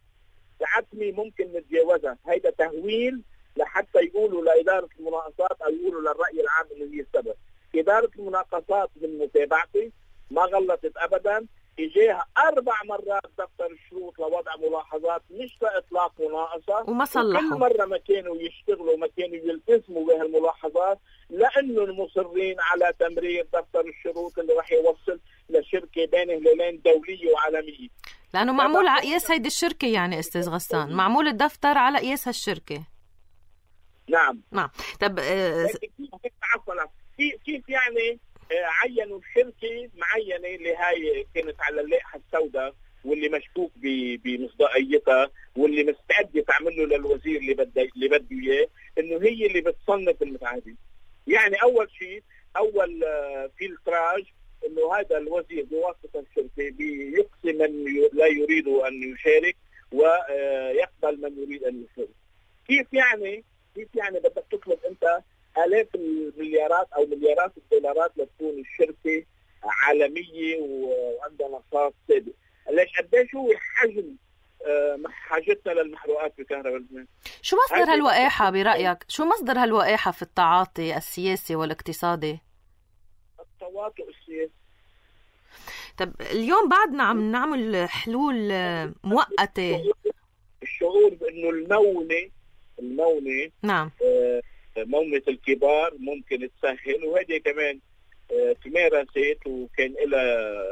العتمة ممكن نتجاوزها، هيدا تهويل لحتى يقولوا لإدارة المناقصات أو يقولوا للرأي العام إنه هي السبب. إدارة المناقصات من متابعتي ما غلطت أبدا، إجاها أربع مرات دفتر الشروط لوضع ملاحظات مش لإطلاق مناقصة، وما صلحوا. كل مرة ما كانوا يشتغلوا ما كانوا يلتزموا بهالملاحظات، لأنه المصرين على تمرير دفتر الشروط اللي راح يوصل لشركة بين هلالين دولية وعالمية، لأنه معمول على قياس هيدي الشركة. يعني أستاذ غسان معمول الدفتر على قياس هالشركة. نعم نعم. طب آه... كيف كيف يعني عينوا شركة معينة اللي هاي كانت على اللائحة السوداء واللي مشكوك بمصداقيتها واللي مستعد تعمل له للوزير اللي بده اللي بده اياه انه هي اللي بتصنف المتعادل. يعني اول شيء اول فلتراج انه هذا الوزير بواسطة الشركة بيقصي من لا يريد ان يشارك ويقبل من يريد ان يشارك. كيف يعني كيف يعني بدك تطلب انت آلاف المليارات أو مليارات الدولارات لتكون الشركة عالمية وعندها نشاط سابق؟ ليش قديش هو حجم حاجتنا للمحروقات بكهرباء لبنان؟ شو مصدر هالوقاحة برأيك؟ شو مصدر هالوقاحة في التعاطي السياسي والاقتصادي؟ التواطؤ السياسي. طب اليوم بعدنا عم نعمل حلول مؤقتة. الشعور بأنه المونة المونة نعم آه مونة الكبار ممكن تسهل، وهذه كمان تمارست وكان لها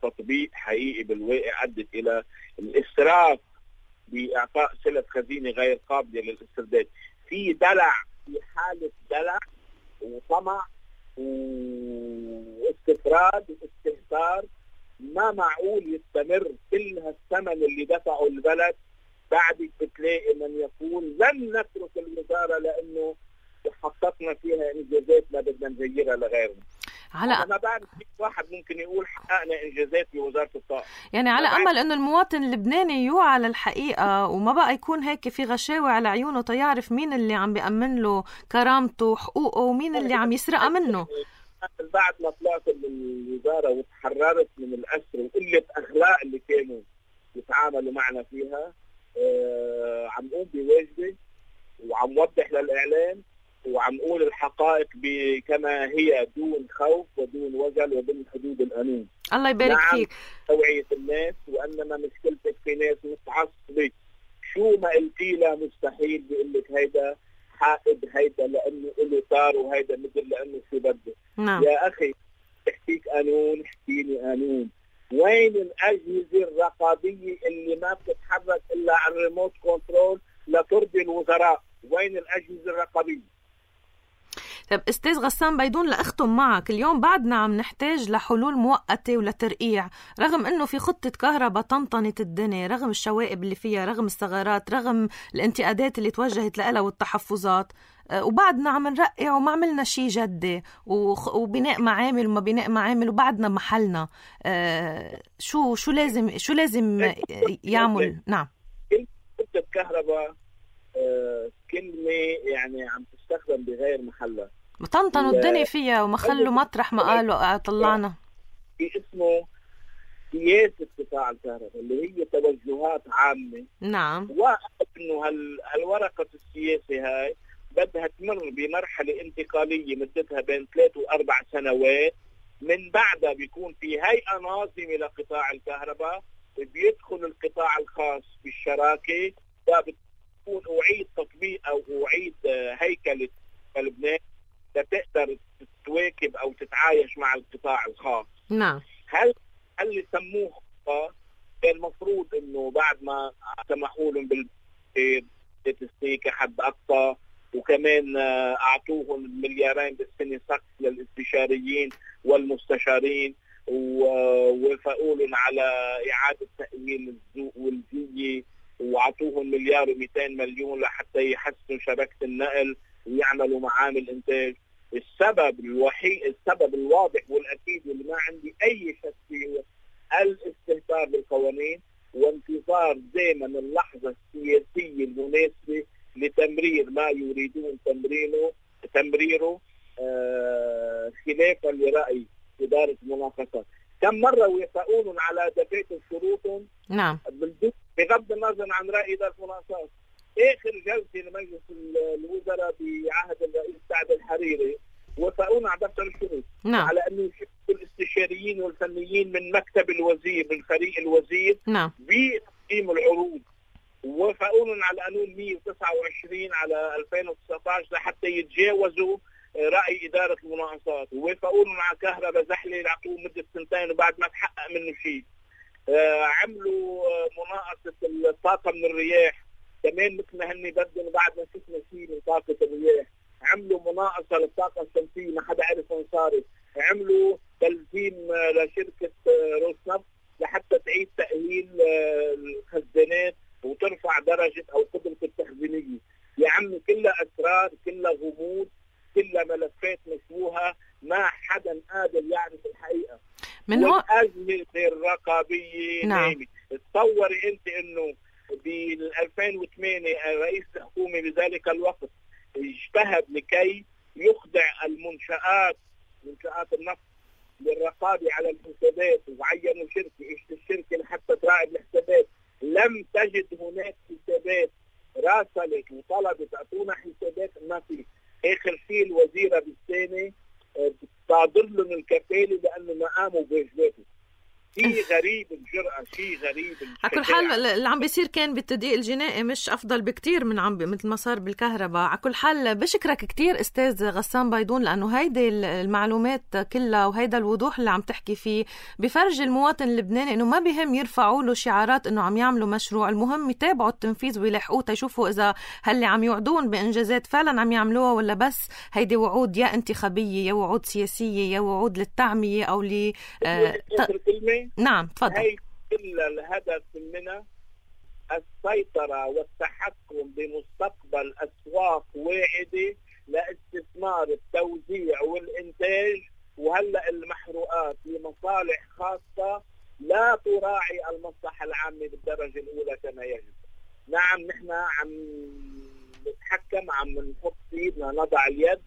تطبيق حقيقي بالواقع أدت إلى الإسراف بإعطاء سلة خزينة غير قابلة للاسترداد. في دلع، في حالة دلع وطمع واستفراد واستهتار ما معقول يستمر. كل هالثمن اللي دفعه البلد بعدك بتلاقي من يقول لن نترك الوزارة لأنه حققنا فيها إنجازات ما بدنا نغيرها لغيرنا. على ما بعرف واحد ممكن يقول حققنا إنجازات بوزارة الطاقة، يعني على أمل أنه المواطن اللبناني يوعى للحقيقة وما بقى يكون هيك في غشاوة على عيونه تيعرف مين اللي عم بيأمن له كرامته وحقوقه ومين اللي عم يسرق منه. بعد ما طلعت من الوزارة وتحررت من الأسر وقلة أخلاق اللي كانوا يتعاملوا معنا فيها، آه عم قوم بواجبي وعم وضح للإعلام وعم قول الحقائق كما هي دون خوف ودون وجل وضمن حدود القانون. الله يبارك نعم فيك. توعية الناس، وأنما مشكلتك في ناس متعصبة شو ما قلتي له مستحيل بيقول لك هيدا حائد، هيدا لأنه له طار، وهيدا مثل لأنه شو بده. نعم. يا أخي احكيك قانون، احكيني قانون. وين الأجهزة الرقابية اللي ما بتتحرك إلا عن ريموت كنترول لترضي الوزراء؟ وين الأجهزة الرقابية؟ طب أستاذ غسان بيدون لأختم معك، اليوم بعدنا عم نحتاج لحلول مؤقتة ولترقيع، رغم أنه في خطة كهرباء طنطنت الدنيا، رغم الشوائب اللي فيها، رغم الثغرات، رغم الانتقادات اللي توجهت لها والتحفظات، وبعدنا عم نرقع وما عملنا شيء جدي، وبناء معامل وما بناء معامل وبعدنا محلنا. شو شو لازم شو لازم يعمل؟ نعم. خطة كهرباء كلمة يعني عم تستخدم بغير محلها. طنطنوا الدنيا فيها وما خلوا مطرح ما قالوا طلعنا. في اسمه سياسة قطاع الكهرباء اللي هي توجهات عامة. نعم. وإنه هالورقة السياسة هاي بدها تمر بمرحلة انتقالية مدتها بين ثلاث وأربع سنوات، من بعدها بيكون في هيئة ناظمة لقطاع الكهرباء بيدخل القطاع الخاص بالشراكة، وبتكون أعيد تطبيق أو أعيد هيكلة لبنان لتقدر تواكب أو تتعايش مع القطاع الخاص. نعم. هل هل اللي سموه خطة كان المفروض إنه بعد ما سمحوا لهم بالتسليك كحد أقصى، وكمان أعطوهم مليارين بالسنة سقف للاستشاريين والمستشارين، ووافقوا لهم على إعادة تأمين الذوق والجية، وعطوهم مليار ومئتين مليون لحتى يحسنوا شبكة النقل ويعملوا معامل إنتاج. السبب الوحيد، السبب الواضح والأكيد واللي ما عندي أي شك فيه، الاستهتار بالقوانين وانتظار دائما اللحظة السياسية المناسبة لتمرير ما يريدون تمريره تمريره آه خلافا لرأي إدارة المناقصات. كم مرة ويفقون على دفاتر شروطهم؟ نعم. بغض النظر عن رأي إدارة المناقصات. آخر جلسة لمجلس الوزراء بعهد الرئيس سعد الحريري وفقون على دفتر الشروط. نعم. على أن الاستشاريين والفنيين من مكتب الوزير من فريق الوزير نعم. بتقييم العروض، ووافقون على قانون مئة وتسعة وعشرين على ألفين وتسعة عشر لحتى يتجاوزوا رأي إدارة المناقصات، ووافقون على كهرباء زحلة يعطوه مدة سنتين وبعد ما تحقق منه شيء. آه عملوا آه مناقصة الطاقة من الرياح كمان مثل ما هني بدهم بعد ما شفنا شيء من طاقة الرياح. عملوا مناقصة للطاقة الشمسية ما حدا عرف وين صارت. عملوا تلزيم آه لشركة آه روسنفط لحتى تعيد تأهيل آه الخزانات وترفع درجة أو قدرة التخزينية. يا عمي كلها أسرار، كلها غموض، كلها ملفات مشبوهة، ما حدا قادر يعرف الحقيقة. من هو والأجهزة الرقابية نعم. نايمة. تصوري أنت إنه بال ألفين وثمانية رئيس الحكومة بذلك الوقت اجتهد لكي يخضع المنشآت منشآت النفط للرقابة على الحسابات، وعينوا شركة ايش الشركة لحتى تراقب الحسابات. لم تجد هناك حسابات، راسلت وطلبت اعطونا حسابات، ما في. اخر شيء الوزيرة بالسنة صادر لهم الكفالة لانه ما قاموا بواجباتهم. شيء غريب الجرأة، شيء غريب. على كل حال اللي عم بيصير كان بالتدقيق الجنائي مش أفضل بكتير من عم مثل ما صار بالكهرباء. على كل حال بشكرك كتير أستاذ غسان بيضون، لأنه هيدي المعلومات كلها وهيدا الوضوح اللي عم تحكي فيه بفرج المواطن اللبناني إنه ما بهم يرفعوا له شعارات إنه عم يعملوا مشروع، المهم يتابعوا التنفيذ ويلحقوه تيشوفوا إذا هاللي عم يوعدون بإنجازات فعلا عم يعملوها ولا بس هيدي وعود يا انتخابية يا وعود سياسية يا وعود للتعمية أو ل آه نعم تفضل. هي كل الهدف منها السيطرة والتحكم بمستقبل أسواق واعدة لاستثمار التوزيع والإنتاج، وهلأ المحروقات لمصالح خاصة لا تراعي المصلحة العامة بالدرجة الأولى كما يجب. نعم نحن عم نتحكم، عم نحط ايدنا نضع اليد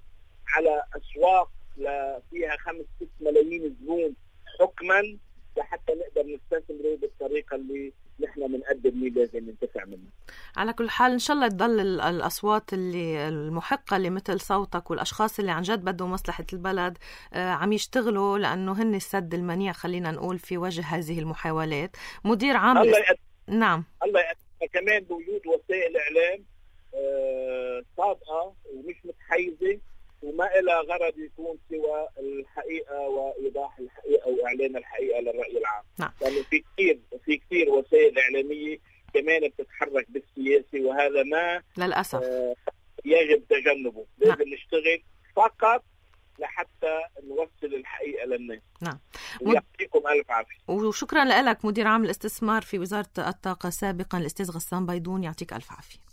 على أسواق فيها خمس ست ملايين زبون حكما لحتى نقدر نستثمره بالطريقة اللي نحن بنقدر ليه لازم ننتفع منه. على كل حال إن شاء الله تضل الأصوات اللي المحقة اللي مثل صوتك والأشخاص اللي عن جد بدهم مصلحة البلد عم يشتغلوا، لأنه هن السد المنيع خلينا نقول في وجه هذه المحاولات. مدير عام الله يقدر. نعم الله يقدر. كمان بوجود وسائل إعلام آه صادقة ومش متحيزة وما إلى غرض يكون سوى الحقيقة وإيضاح الحقيقة وإعلان الحقيقة للرأي العام. نعم. لأنه في كثير في كثير وسائل إعلامية كمان بتتحرك بالسياسة، وهذا ما للأسف آه يجب تجنبه. لازم نعم. نشتغل فقط لحتى نوصل الحقيقة للناس. نعم. ويعطيكم ألف عافية. وشكرا لك مدير عام الاستثمار في وزارة الطاقة سابقا الأستاذ غسان بيضون، يعطيك ألف عافية.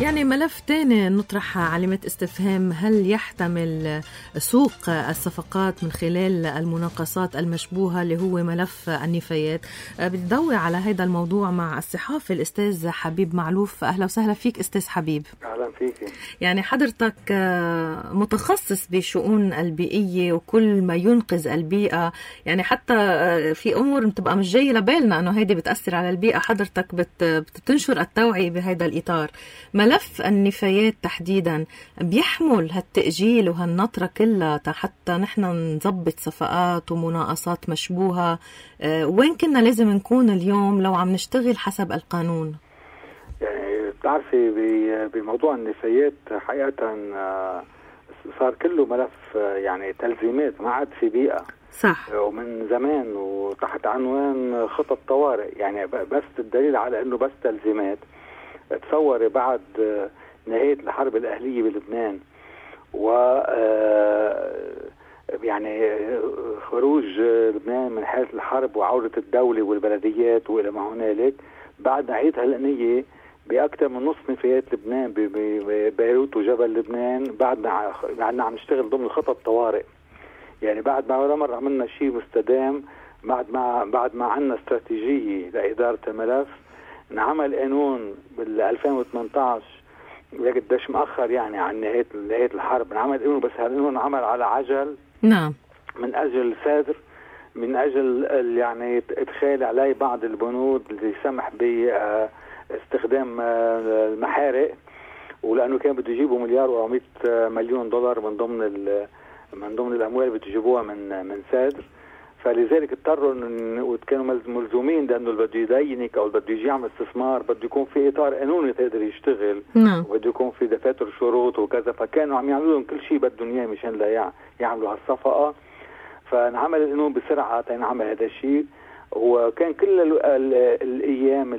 يعني ملف تاني نطرح علامة استفهام، هل يحتمل سوق الصفقات من خلال المناقصات المشبوهة اللي هو ملف النفايات؟ بتضوي على هذا الموضوع مع الصحافي الأستاذ حبيب معلوف. أهلا وسهلا فيك أستاذ حبيب. أهلا فيك. يعني حضرتك متخصص بشؤون البيئية وكل ما ينقذ البيئة، يعني حتى في أمور بتبقى مش جاية لبالنا أنه هيدي بتأثر على البيئة، حضرتك بتنشر التوعية بهذا الإطار. ملف النفايات تحديدا بيحمل هالتأجيل وهالنطرة كلها حتى نحن نضبط صفقات ومناقصات مشبوهة. أه وين كنا لازم نكون اليوم لو عم نشتغل حسب القانون؟ يعني بتعرفي بموضوع النفايات حقيقة صار كله ملف يعني تلزيمات، ما عاد في بيئة. صح. ومن زمان وتحت عنوان خطط طوارئ، يعني بس الدليل على انه بس تلزيمات. تصوري بعد نهاية الحرب الأهلية بلبنان و يعني خروج لبنان من حالة الحرب وعودة الدولة والبلديات وإلى ما هنالك، بعد نهاية هالقنية بأكثر من نصف نفايات لبنان ببيروت وجبل لبنان بعدنا بعدنا عم نشتغل ضمن خطط طوارئ. يعني بعد ما ولا مرة عملنا شيء مستدام، بعد ما بعد ما عندنا استراتيجية لإدارة الملف. انعمل قانون بال ألفين وثمانية عشر قديش مأخر يعني عن نهاية نهاية الحرب، انعمل قانون بس هالقانون عمل على عجل. نعم. من أجل صدر من أجل يعني إدخال عليه بعض البنود اللي يسمح باستخدام المحارق، ولأنه كان بده يجيبوا مليار وأربعمائة مليون دولار من ضمن من ضمن الأموال اللي بده يجيبوها من من صدر. فلذلك اضطروا وكانوا ملزومين لانه اللي بده يدينك او اللي بده يجي يعمل استثمار بده يكون في اطار قانوني تقدر يشتغل. نعم. وبده يكون في دفاتر شروط وكذا، فكانوا عم يعملوا لهم كل شيء بدهم اياه مشان لا يعملوا هالصفقه. فانعمل القانون بسرعه تنعمل هذا الشيء، وكان كل ال ال الايام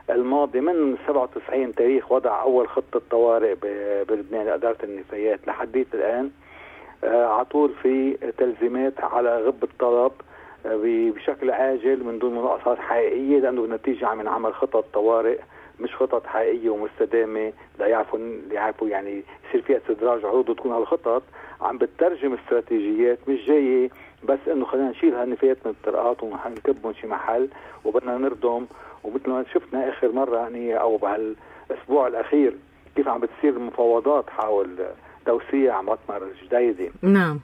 الماضيه من سبعة وتسعين تاريخ وضع اول خطه طوارئ بلبنان لاداره النفايات لحديت الان على طول في تلزيمات على غب الطلب بشكل عاجل من دون مناقصات حقيقيه، لانه بالنتيجه عم نعمل خطط طوارئ مش خطط حقيقيه ومستدامه لا يعرفوا يعرفوا يعني يصير فيها استدراج عروض وتكون هالخطط عم بتترجم استراتيجيات مش جايه بس انه خلينا نشيل هالنفايات من الطرقات ونكبهم شي محل وبدنا نردم. ومثل ما شفنا اخر مره يعني او بهالاسبوع الاخير كيف عم بتصير المفاوضات حول توسيع مطمر جديدة. نعم.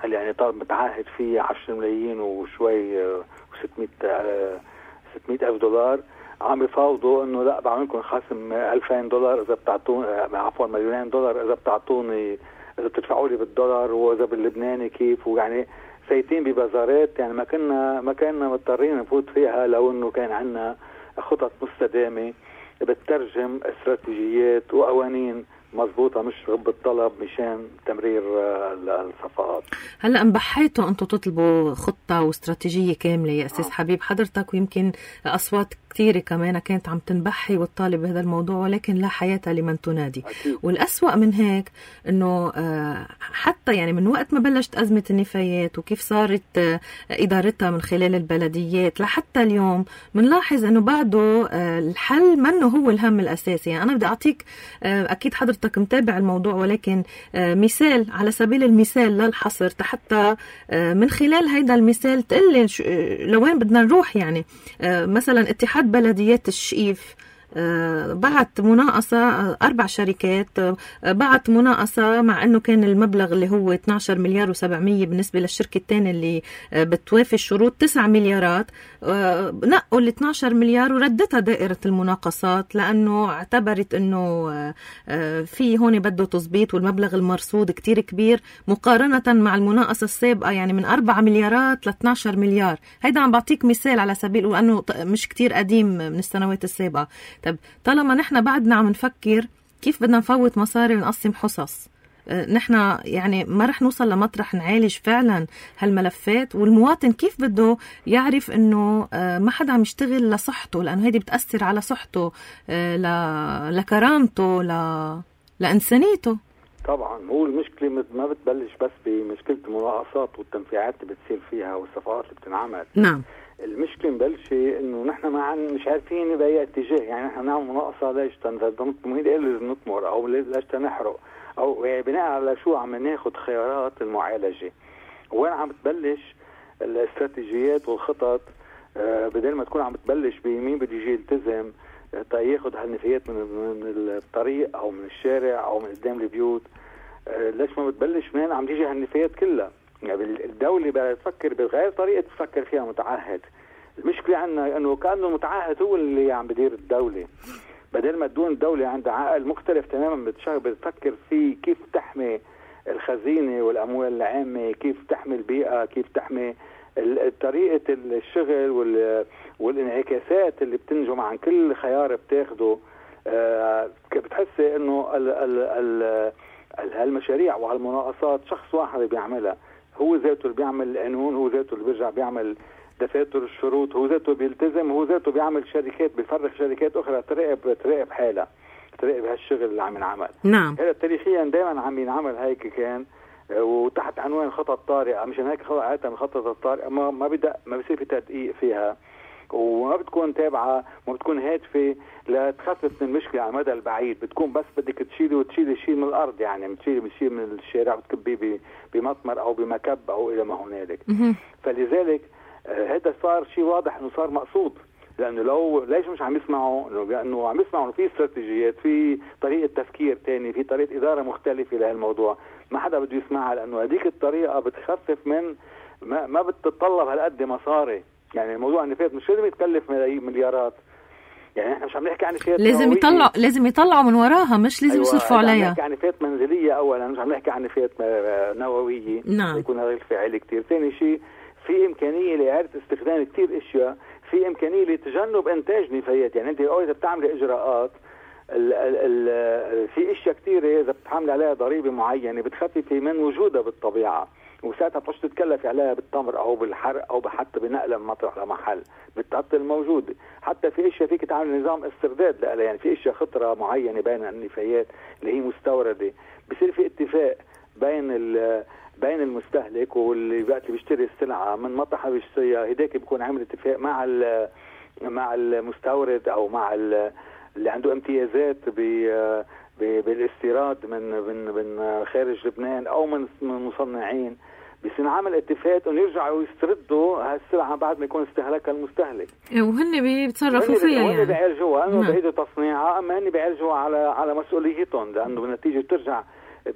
اللي يعني طالب متعهد فيه عشرة ملايين وشوي وستمائة ستمائة ألف دولار، عم بيفاوضوا انه لا بعملكم خصم ألفين دولار اذا بتعطوني، عفوا مليونين دولار اذا بتعطوني اذا بتدفعوا لي بالدولار واذا باللبناني كيف. ويعني سايتين ببازارات يعني ما كنا ما كنا مضطرين نفوت فيها لو انه كان عندنا خطط مستدامة بتترجم استراتيجيات وقوانين مضبوطة مش غب الطلب مشان تمرير الصفقات. هلا انبحيتوا انتم تطلبوا خطة واستراتيجية كاملة يا أستاذ حبيب حضرتك، ويمكن أصوات كثيرة كمان كانت عم تنبحي وتطالب بهذا الموضوع، ولكن لا حياة لمن تنادي. أكيد. والأسوأ من هيك انه حتى يعني من وقت ما بلشت أزمة النفايات وكيف صارت إدارتها من خلال البلديات لحتى اليوم بنلاحظ انه بعده الحل منه هو الهم الأساسي. يعني أنا بدي أعطيك، أكيد حضرتك متابع الموضوع، ولكن مثال على سبيل المثال لا الحصر حتى من خلال هيدا المثال تقلي لوين بدنا نروح. يعني مثلا اتحاد بلديات الشقيف بعت مناقصة أربع شركات، بعت مناقصة مع أنه كان المبلغ اللي هو اثني عشر مليار وسبعمية بالنسبة للشركة الثانية اللي بتوافي الشروط تسعة مليارات، نقوا ال اثني عشر مليار وردتها دائرة المناقصات لأنه اعتبرت أنه في هون بده تظبيط والمبلغ المرصود كتير كبير مقارنة مع المناقصة السابقة يعني من أربعة مليارات ل اثني عشر مليار. هيدا عم بعطيك مثال على سبيل وأنه مش كتير قديم من السنوات السابقة. طب طالما نحن بعدنا عم نفكر كيف بدنا نفوت مصاري ونقسم حصص، نحن يعني ما رح نوصل لمطرح نعالج فعلا هالملفات، والمواطن كيف بده يعرف انه ما حدا عم يشتغل لصحته، لانه هيدي بتأثر على صحته لكرامته لإنسانيته. طبعا هو المشكله ما بتبلش بس بمشكله المناقصات والتنفيعات اللي بتصير فيها والصفقات اللي بتنعمل. نعم. المشكله مبلشه انه نحن ما عن مش عارفين باي اتجاه، يعني نحن نعمل مناقصه ليش تنظم لازم نطمر او ليش تنحرق او يعني بناء على شو عم ناخذ خيارات المعالجه. وين عم تبلش الاستراتيجيات والخطط؟ آه بدل ما تكون عم تبلش بمين بده يجي يلتزم ياخذ هالنفايات من من الطريق او من الشارع او من قدام البيوت، آه ليش ما بتبلش منين عم تيجي هالنفايات كلها؟ يعني الدوله بدها تفكر بغير طريقه تفكر فيها متعهد. المشكله عندنا انه كانه المتعهد هو اللي عم بدير الدوله، بدل ما تكون الدوله عندها عقل مختلف تماما بتفكر في كيف تحمي الخزينه والاموال العامه، كيف تحمي البيئه، كيف تحمي طريقه الشغل والانعكاسات اللي بتنجم عن كل خيار بتاخده. أه بتحسي انه هالمشاريع وهالمناقصات شخص واحد بيعملها، هو ذاته اللي بيعمل القانون، هو ذاته اللي بيرجع بيعمل دفاتر الشروط، هو ذاته بيلتزم، هو ذاته بيعمل شركات، بيفرغ شركات اخرى تراقب تراقب حالها، تراقب هالشغل اللي عم ينعمل. نعم. هذا تاريخيا دائما عم ينعمل هيك كان، وتحت عنوان خطط طارئه، مشان هيك خطط من خطط الطارئه ما ما بدا ما بصير في تدقيق فيها، وما بتكون تابعه، ما بتكون هادفه لتخفف من المشكله على المدى البعيد، بتكون بس بدك تشيلي وتشيلي شيء من الارض، يعني بتشيلي بشيء من الشارع بتكبيه بمطمر او بمكب او الى ما هنالك. فلذلك هذا صار شيء واضح انه صار مقصود، لانه لو ليش مش عم يسمعوا؟ لانه عم يسمعوا انه في استراتيجيات، في طريقه تفكير ثاني، في طريقه اداره مختلفه لهالموضوع، ما حدا بده يسمعها، لانه هذيك الطريقه بتخفف من ما, ما بتتطلب هالقد مصاري. يعني الموضوع النفايات مش لازم يتكلف مليارات، يعني احنا مش عم نحكي عن نفايات لازم يطلع لازم يطلعوا من وراها، مش لازم أيوة يصرفوا عليها. عم نحكي عن نفايات منزليه اولا، مش عم نحكي عن نفايات نوويه. نعم. يكون هذا الفاعل كثير. ثاني شيء في امكانيه لاعاده استخدام كثير اشياء، في امكانيه لتجنب انتاج نفايات. يعني انت اذا بتعملي اجراءات ال ال ال في اشياء كثيره اذا بتحمل عليها ضريبه معينه بتخففي من وجودها بالطبيعه، وساعتها بتحط تتكلفي عليها بالتمر او بالحرق او حتى بنقلها من مطرح لمحل، بتحط الموجوده. حتى في اشياء فيك تعمل نظام استرداد لها، يعني في اشياء خطره معينه بين النفايات اللي هي مستورده، بصير في اتفاق بين بين المستهلك واللي وقت بيشتري السلعه من مطرح بيشتريها، هداك بيكون عامل اتفاق مع مع المستورد او مع اللي عنده امتيازات بالاستيراد من من من خارج لبنان او من مصنعين، بيصير عمل اتفاق انه يرجعوا يستردوا هالسلعه بعد ما يكون استهلكها المستهلك، وهن بيتصرفوا فيها. يعني وهن بيعالجوها انه بعيدوا تصنيعها، اما هن بيعالجوها على على مسؤوليتهم، لانه بالنتيجه بترجع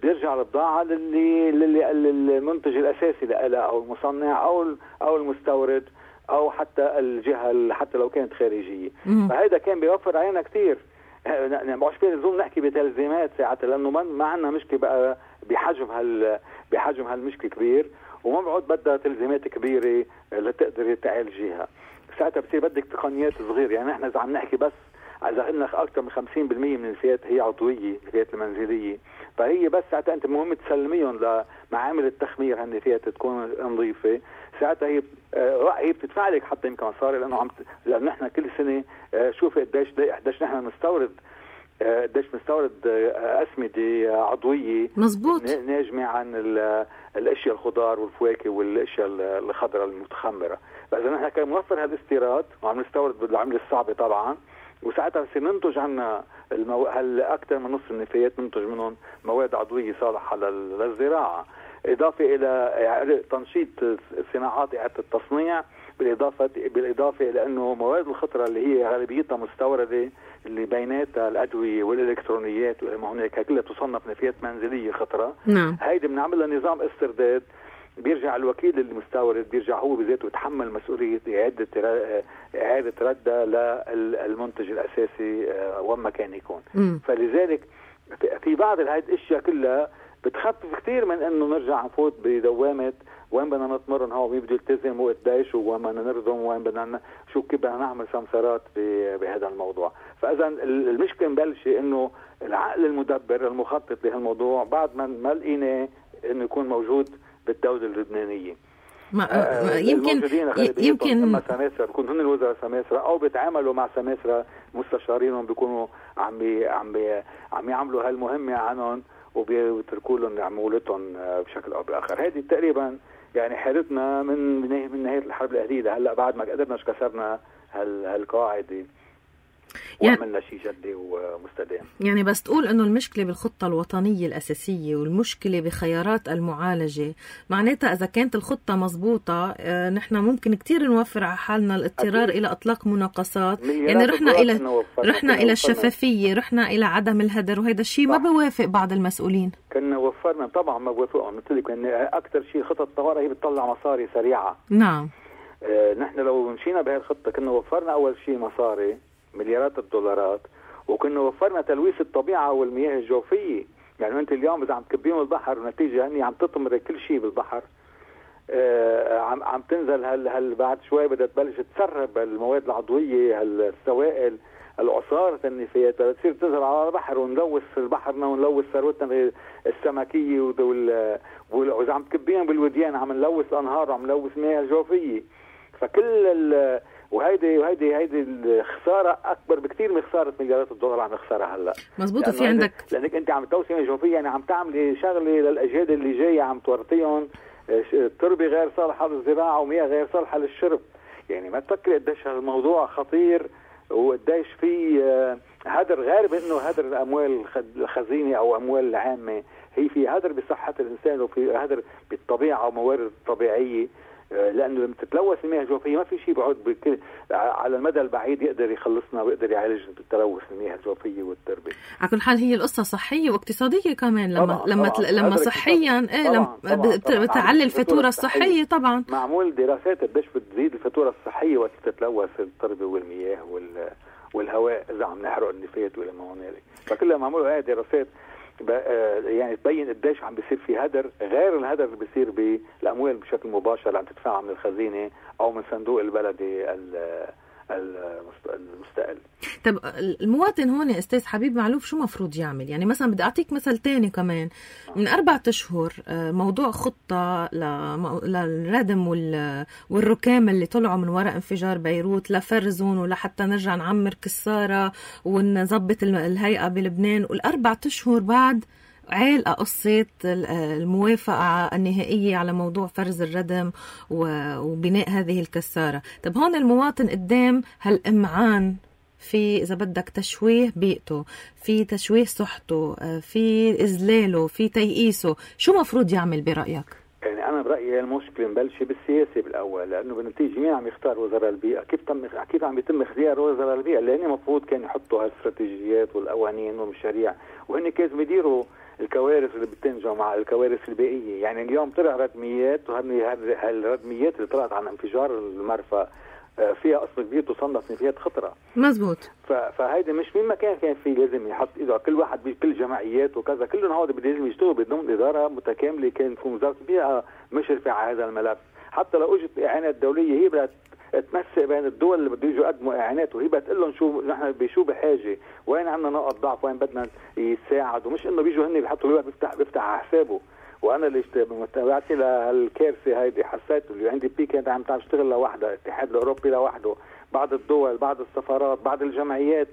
بيرجع البضاعه للي للمنتج الاساسي لها او المصنع او او المستورد او حتى الجهه حتى لو كانت خارجيه. فهذا كان بيوفر علينا كثير. يعني مش في لزوم نحكي بتلزيمات ساعتها، لانه ما عندنا مشكله بقى بحجم هال بحجم هالمشكله كبير، وما بعد بدها تلزيمات كبيره لتقدر تعالجيها. ساعتها بصير بدك تقنيات صغيره. يعني احنا اذا عم نحكي بس اذا قلنا اكثر من خمسين بالمئة من النفايات هي عضويه، النفايات المنزليه، فهي بس ساعتها انت مهم تسلميهم لمعامل التخمير هالنفايات تكون نظيفه، ساعتها هي هي بتدفع لك حتى يمكن مصاري، لانه عم لانه نحن كل سنه شوف قديش قديش نحن بنستورد قديش بنستورد اسمده عضويه مظبوط ناجمه عن الاشياء الخضار والفواكه والاشياء الخضراء المتخمره. فاذا نحن كان موفر هالاستيراد وعم نستورد بالعمله الصعبه طبعا، وساعتها بصير ننتج عنا المو... هل اكثر من نصف النفايات ننتج منهم مواد عضويه صالحه للزراعه، اضافه الى تنشيط صناعات اعاده التصنيع، بالاضافه بالاضافه الى انه مواد الخطره اللي هي غالبيتها مستورده اللي بيناتها الادويه والالكترونيات وما هناك كلها تصنف نفايات منزليه خطره. نعم. هيدي بنعمل لها نظام استرداد، بيرجع الوكيل المستورد بيرجع هو بذاته يتحمل مسؤوليه اعاده اعاده ردها للمنتج الاساسي وين ما كان يكون. م. فلذلك في بعض هذه الاشياء كلها بتخفف كثير من انه نرجع نفوت بدوامه وين بدنا نتمرن هو مين بده يلتزم وقديش وين بدنا نرضم وين بدنا شو كيف بدنا نعمل سمسارات بهذا الموضوع. فاذا المشكله مبلشه انه العقل المدبر المخطط لهالموضوع بعد ما ما لقيناه انه يكون موجود بالدوله اللبنانيه. ما آه يمكن يمكن اما سماسرة بيكونوا هن الوزراء سماسرة او بيتعاملوا مع سماسرة مستشارينهم بيكونوا عم بي عم بي عم يعملوا هالمهمه عنهم وبيتركوا لهم عمولتهم بشكل او باخر. هذه تقريبا يعني حالتنا من من نهايه الحرب الاهليه لهلا، بعد ما قدرناش كسرنا هال هالقاعده وعملنا شيء جدي ومستدام. يعني بس تقول انه المشكله بالخطه الوطنيه الاساسيه والمشكله بخيارات المعالجه، معناتها اذا كانت الخطه مزبوطه اه نحن ممكن كتير نوفر على حالنا الاضطرار أكيد. الى اطلاق مناقصات. يعني رحنا الى رحنا الى الشفافيه، رحنا الى عدم الهدر، وهذا الشيء ما بوافق بعض المسؤولين. كنا وفرنا طبعا ما بوافقهم، مثل لك ان اكثر شيء خطط الطوارئ هي بتطلع مصاري سريعه. نعم. اه نحن لو مشينا بهي الخطه كنا وفرنا اول شيء مصاري مليارات الدولارات، وكنا وفرنا تلويث الطبيعة والمياه الجوفية. يعني انت اليوم اذا عم تكبيهم البحر ونتيجة هني عم تطمر كل شيء بالبحر، آه عم عم تنزل هل هل بعد شوي بدها تبلش تسرب المواد العضوية، السوائل، العصارة النفايات تصير تنزل على البحر ونلوث بحرنا ونلوث ثروتنا السمكية، واذا عم تكبيهم بالوديان عم نلوث انهار وعم نلوث مياه جوفية. فكل ال وهيدي وهيدي هيدي الخساره اكبر بكثير من خساره مليارات الدولار عم نخسرها هلا. مزبوط. في عندك لانك انت عم توسعي مياه جوفيه، يعني عم تعملي شغله للاجيال اللي جايه، عم تورطيهم تربه غير صالحه للزراعه ومياه غير صالحه للشرب. يعني ما تفكري قديش هالموضوع خطير وقديش في هدر، غير بانه هدر الاموال الخزينه او اموال العامه، هي في هدر بصحه الانسان وفي هدر بالطبيعه وموارد الطبيعيه. لانه لما تتلوث المياه الجوفيه ما في شيء بعد بكل على المدى البعيد يقدر يخلصنا ويقدر يعالج تلوث المياه الجوفيه والتربه. على كل حال هي القصه صحيه واقتصاديه كمان، لما طبعًا لما طبعًا لما صحيا ايه لما بتعلي الفاتوره الصحيه. طبعا معمول دراسات قديش بتزيد الفاتوره الصحيه وقت تتلوث التربه والمياه وال والهواء اذا عم نحرق النفايات ولا ما هنالك. فكلها معمول هاي دراسات يعني تبين قديش عم بيصير في هدر، غير الهدر اللي بيصير بالاموال بشكل مباشر اللي عم تدفعها من الخزينه او من صندوق البلدي المستقل. طب المواطن هون استاذ حبيب معلوف شو مفروض يعمل؟ يعني مثلا بدي اعطيك مثل تاني كمان. من أربعة أشهر موضوع خطة للردم والركام اللي طلعوا من وراء انفجار بيروت لفرزون ولحتى نرجع نعمر كسارة ونظبط الهيئة بلبنان، والأربعة أشهر بعد عالقة قصة الموافقة النهائية على موضوع فرز الردم وبناء هذه الكسارة. طب هون المواطن قدام هالإمعان في إذا بدك تشويه بيئته، في تشويه صحته، في إذلاله، في تيئيسه، شو مفروض يعمل برأيك؟ يعني أنا برأيي المشكلة مبلشة بالسياسة بالأول، لأنه بالنتيجة مين عم يختار وزراء البيئة؟ كيف تم كيف عم يتم اختيار وزراء البيئة؟ لأن المفروض كانوا يحطوا هالاستراتيجيات والقوانين والمشاريع، وهن كانوا يديروا الكوارث اللي بتنجم مع الكوارث البيئية. يعني اليوم طلع ردميات، وهالردميات اللي طلعت عن انفجار المرفأ فيها قصر كبير تصنف نفايات خطرة. مزبوط. فهيدا مش مين مكان كان فيه لازم يحط ايده كل واحد بكل جمعيات وكذا، كلهم هود لازم يشتغلوا بدون إدارة متكاملة. كان في وزارة البيئة مشرفة على هذا الملف. حتى لو اجت اعانات دولية هي بدها تمسك بين الدول اللي بده يجوا يقدموا اعانات، وهي بتقول لهم شو نحن بشو بحاجه، وين عندنا نقط ضعف، وين بدنا يساعدوا، مش انه بيجوا هن بيحطوا الواحد بيفتح بيفتح على حسابه. وانا اللي متابعتي لهالكارثه هيدي حسيت اللي عندي بي كانت عم تشتغل لوحدها، الاتحاد الاوروبي لوحده، بعض الدول، بعض السفارات، بعض الجمعيات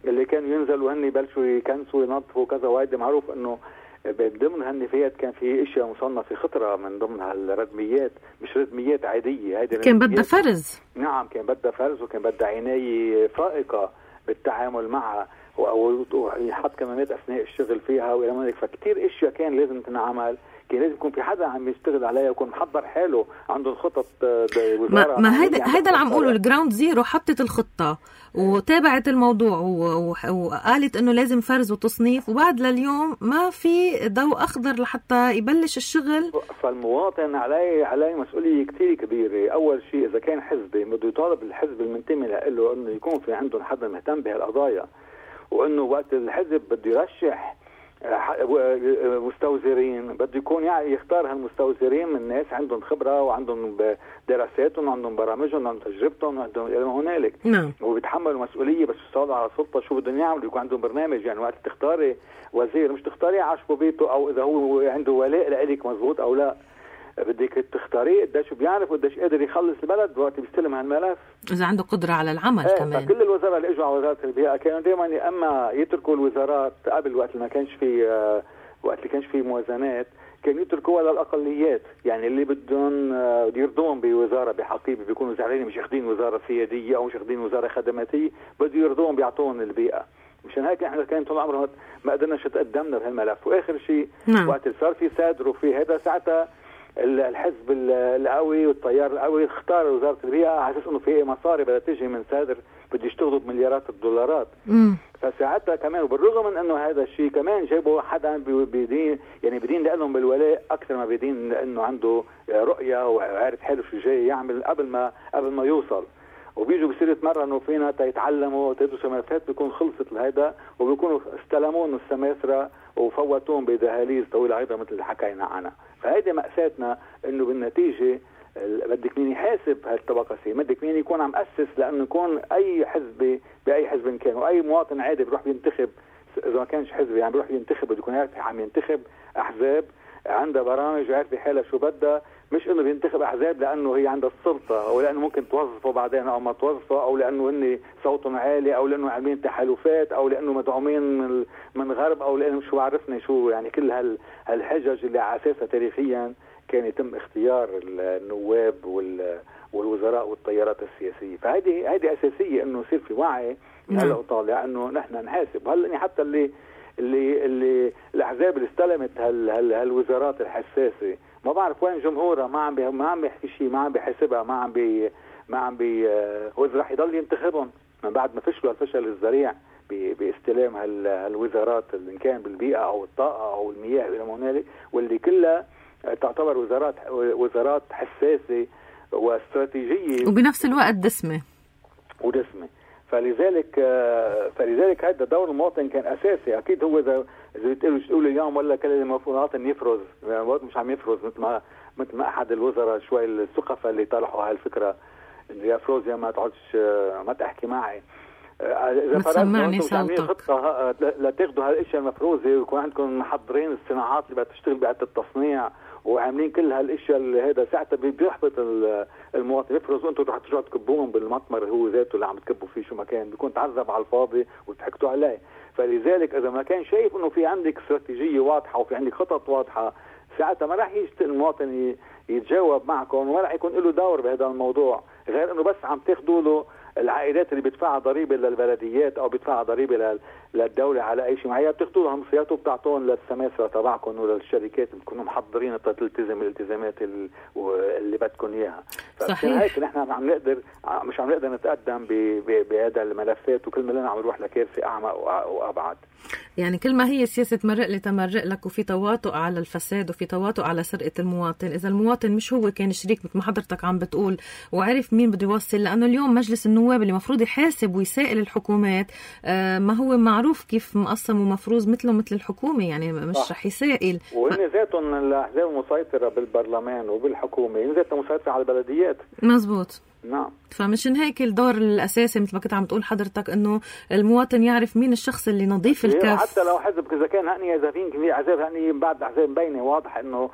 اللي كانوا ينزلوا هن يبلشوا يكنسوا وينظفوا وكذا. وهيدي معروف انه ضمن هالنفايات كان في اشياء مصنفه خطره من ضمن هالردميات، مش ردميات عاديه. هيدي كان بدها فرز. نعم كان بدها فرز، وكان بدها عنايه فائقه بالتعامل معها، ويحط كمامات اثناء الشغل فيها والى ما هنالك. فكتير اشياء كان لازم تنعمل، كان لازم يكون في حدا عم يشتغل عليها ويكون محضر حاله، عنده الخطط. ما, ما هيدا هيدا اللي عم اقوله. الجراوند زيرو حطت الخطه وتابعت الموضوع وقالت انه لازم فرز وتصنيف، وبعد لليوم ما في ضوء اخضر لحتى يبلش الشغل. فالمواطن عليه عليه مسؤوليه كثير كبيره. اول شيء اذا كان حزبي بده يطالب الحزب المنتمي له انه يكون في عندهم حدا مهتم بهالقضايا، وانه وقت الحزب بده يرشح مستوزرين بده يكون يعني يختار هالمستوزرين من ناس عندهم خبره وعندهم دراساتهم وعندهم برامجهم وعندهم تجربتهم وعندهم الى ما هنالك. نعم. وبيتحملوا مسؤوليه بس يصعدوا على السلطه شو بدهم يعملوا، يكون عندهم برنامج. يعني وقت تختاري وزير مش تختاريه عشبه بيته او اذا هو عنده ولاء لك مزبوط او لا، بدك تختاريه قديش بيعرف وقديش قادر يخلص البلد وقت بيستلم هالملف، اذا عنده قدره على العمل. ايه كمان كل الوزراء اللي اجوا على وزاره البيئه كانوا دائما اما يتركوا الوزارات قبل وقت ما كانش في وقت اللي كانش في موازنات كانوا يتركوها للاقليات، يعني اللي بدهم يرضون بوزاره بحقيبه بيكونوا زعلانين مش اخذين وزاره سياديه او مش اخذين وزاره خدماتيه، بده يرضون بيعطون البيئه. مشان هيك احنا كان طول عمرنا ما قدرناش تقدمنا بهالملف. واخر شيء نعم. وقت صار في سادر وفي هذا ساعتها الحزب القوي والتيار القوي اختار وزاره البيئه على اساس انه في مصاري بدها تيجي من سادر بده يشتغلوا بمليارات الدولارات. امم فساعتها كمان وبالرغم من انه هذا الشيء كمان جابوا حدا بدين يعني بدين لهم بالولاء اكثر ما بدين لانه عنده رؤيه وعارف حاله شو جاي يعمل قبل ما قبل ما يوصل. وبيجوا بصير يتمرنوا فينا تيتعلموا تدرسوا ملفات بيكون خلصت لهيدا وبيكونوا استلمون السماسرة وفوتون بدهاليز طويلة أيضا مثل اللي حكينا عنها. فهيدي مأساتنا إنه بالنتيجة بدك مين يحاسب هالطبقة سي، بدك مين يكون عم أسس لأنه يكون أي حزب بأي حزب كان وأي مواطن عادي بيروح ينتخب إذا ما كانش حزب يعني بيروح ينتخب بده يكون عارف عم ينتخب أحزاب عندها برامج وعارف حالها شو بدها، مش انه بينتخب احزاب لانه هي عندها السلطه او لانه ممكن توظفه بعدين او ما توظفه او لانه هن صوتهم عالي او لانه عاملين تحالفات او لانه مدعومين من من غرب او لانه شو عرفنا شو يعني كل هال هالحجج اللي على اساسها تاريخيا كان يتم اختيار النواب وال والوزراء والتيارات السياسيه. فهذه هذه اساسيه انه يصير في وعي هلا وطالع انه نحن نحاسب. هلا حتى اللي اللي اللي الاحزاب اللي استلمت هال هال هالوزارات الحساسه ما بعرف وين جمهورها، ما عم بي ما عم بيحكي شيء، ما عم بيحاسبها، ما عم بي ما عم بي هو رح يضل ينتخبهم من بعد ما فشلوا الفشل الذريع باستلام هال هالوزارات اللي كان بالبيئه او الطاقه او المياه الى ما هنالك، واللي كلها تعتبر وزارات وزارات حساسه واستراتيجيه وبنفس الوقت دسمه ودسمه. فلذلك فلذلك هذا دور المواطن كان اساسي. اكيد هو اذا اذا بتقولوا تقولوا اليوم ولا كل المواطن يفرز يعني مش عم يفرز مثل ما مثل ما احد الوزراء شوي السقفه اللي طرحوا هالفكره انه يا فروز يا ما تقعدش ما تحكي معي اذا فرضنا تعملين خطه لتاخذوا هالاشياء المفروزه ويكون عندكم محضرين الصناعات اللي بدها تشتغل بعد التصنيع وعاملين كل هالاشياء اللي هذا ساعتها بيحبط المواطن يفرزوا انتم رح ترجعوا تكبوهم بالمطمر هو ذاته اللي عم تكبوا فيه شو ما كان بيكون تعذب على الفاضي وضحكتوا عليه. فلذلك اذا ما كان شايف انه في عندك استراتيجيه واضحه وفي عندك خطط واضحه ساعتها ما راح يجي المواطن يتجاوب معكم وما راح يكون له دور بهذا الموضوع غير انه بس عم تاخذوا له العائلات اللي بيدفعها ضريبه للبلديات او بيدفعها ضريبه للدوله على اي شيء معين بتاخذوا لهم مصريات وبتعطون للسماسره تبعكم وللشركات بتكونوا محضرين تلتزم الالتزامات اللي بدكم اياها. صحيح. هيك نحن عم نقدر مش عم نقدر نتقدم بهذا الملفات وكل ما لنا عم نروح لكارثه اعمق وابعد. يعني كل ما هي سياسة تمرق لي تمرق لك وفي تواطؤ على الفساد وفي تواطؤ على سرقة المواطن. إذا المواطن مش هو كان شريك مثل ما حضرتك عم بتقول وعرف مين بده يوصل، لأنه اليوم مجلس النواب اللي مفروض يحاسب ويسائل الحكومات آه ما هو معروف كيف مقسم ومفروض مثله مثل الحكومة، يعني مش رح يسائل. وهن ذاتهم الأحزاب المسيطرة بالبرلمان وبالحكومة هن ذاتهم مسيطرة على البلديات. مزبوط. نعم. فمشان هيك الدور الأساسي مثل ما كنت عم تقول حضرتك إنه المواطن يعرف مين الشخص اللي نظيف الكف. حتى لو حزب إذا كان هني إذا فين كمية أحزاب هني بعد أحزاب مبينة واضح إنه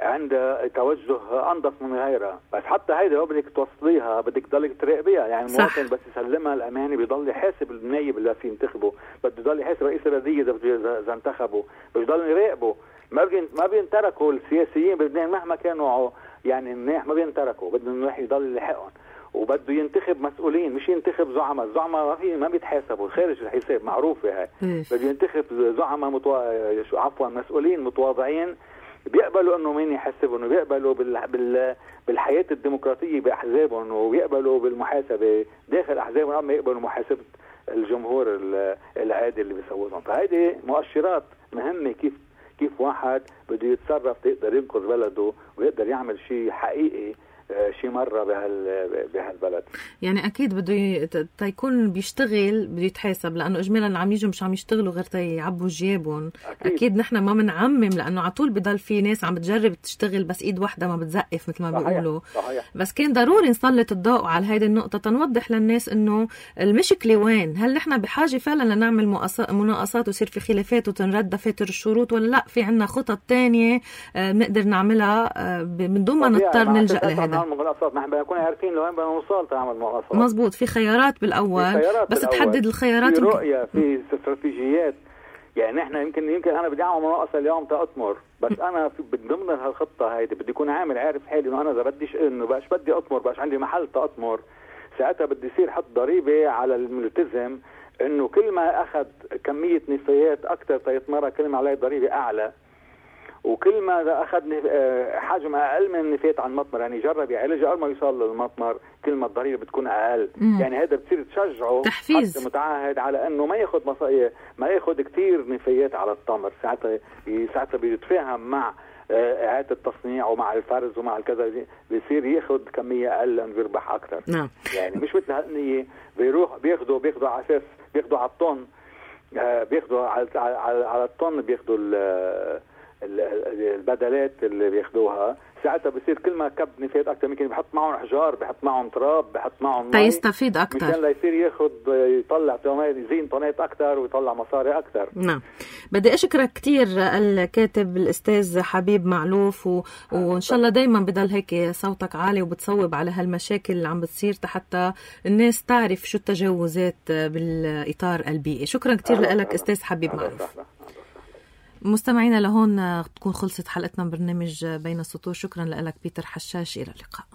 عند توجه أنظف من غيرها، بس حتى هيدا لو بدك توصليها بدك تضلك تراقبيها. يعني المواطن بس يسلمها الأمانة بيضل يحاسب النايب اللي في ينتخبه، بده يضل يحاسب رئيس البلدية إذا إذا انتخبه، بيضل يراقبه. ما بين ما بينتركوا السياسيين بلبنان مهما كانوا يعني منيح ما بينتركوا، بده الواحد يضل يلحقهم وبده ينتخب مسؤولين مش ينتخب زعماء. الزعماء ما في ما بيتحاسبوا خارج الحساب معروفه هاي. بده ينتخب زعماء متوا... عفوا مسؤولين متواضعين بيقبلوا انه مين يحاسبهم وبيقبلوا بال... بال... بالحياه الديمقراطيه باحزابهم وبيقبلوا بالمحاسبه داخل احزابهم اما يقبلوا محاسبه الجمهور العادي اللي بيسوونهم. فهيدي مؤشرات مهمه كيف كيف واحد بده يتصرف يقدر ينقذ بلده ويقدر يعمل شيء حقيقي شيء مرة بهال بهالبلد. يعني أكيد بده ي... تيكون بيشتغل بده يتحاسب، لأنه إجمالا عم يجوا مش عم يشتغلوا غير تيعبوا جيابهم. أكيد, أكيد نحن ما بنعمم لأنه على طول بضل في ناس عم بتجرب تشتغل بس إيد واحدة ما بتزقف مثل ما بيقولوا. بس كان ضروري نسلط الضوء على هذه النقطة تنوضح للناس إنه المشكلة وين. هل نحن بحاجة فعلا لنعمل مناقصات ويصير في خلافات وتنرد دفاتر الشروط، ولا لا في عنا خطط تانية بنقدر نعملها من دون ما نضطر نلجأ لهذا؟ مناقصات نحن بنكون عارفين لوين بدنا نوصل تعمل مناقصات. مزبوط. في خيارات بالأول في خيارات بس بالأول. تحدد الخيارات في رؤية في استراتيجيات. يعني نحن يمكن يمكن انا بدي اعمل مناقصه اليوم تاطمر، بس انا في ضمن هالخطه هيدي بدي اكون عامل عارف حالي انه انا اذا بديش انه باش بدي اطمر باش عندي محل تاطمر، ساعتها بدي يصير حط ضريبه على الملتزم انه كل ما اخذ كميه نفايات اكثر تيطمرها كل ما عليه ضريبه اعلى، وكل ما اخذ حجم اقل من النفايات عن المطمر، يعني جرب يعالج قبل ما يوصل للمطمر كل ما الضريبه بتكون اقل. مم. يعني هذا بتصير تشجعه تحفيز المتعهد على انه ما ياخذ مصايا ما ياخذ كثير نفايات على التمر، ساعتها ساعتها بيتفاهم مع اعاده التصنيع ومع الفرز ومع الكذا، بيصير ياخذ كميه اقل لانه بيربح اكثر. نعم. يعني مش مثل هالنيه بيروح بياخذوا بياخذوا على اساس بياخذوا على الطن، بياخذوا على على, على الطن بياخذوا البدلات اللي بياخذوها، ساعتها بصير كل ما كب نفايات اكثر ممكن بحط معهم حجار، بحط معهم تراب، بحط معهم تيستفيد اكثر مشان ليصير ياخذ يطلع يزين طنات اكثر ويطلع مصاري اكثر. نعم. بدي اشكرك كثير الكاتب الاستاذ حبيب معلوف، و... وان شاء الله دائما بضل هيك صوتك عالي وبتصوب على هالمشاكل اللي عم بتصير حتى الناس تعرف شو التجاوزات بالاطار البيئي. شكرا كثير لك استاذ حبيب معلوف. مستمعينا لهون تكون خلصت حلقتنا من برنامج بين السطور. شكرا لك بيتر حشاش، إلى اللقاء.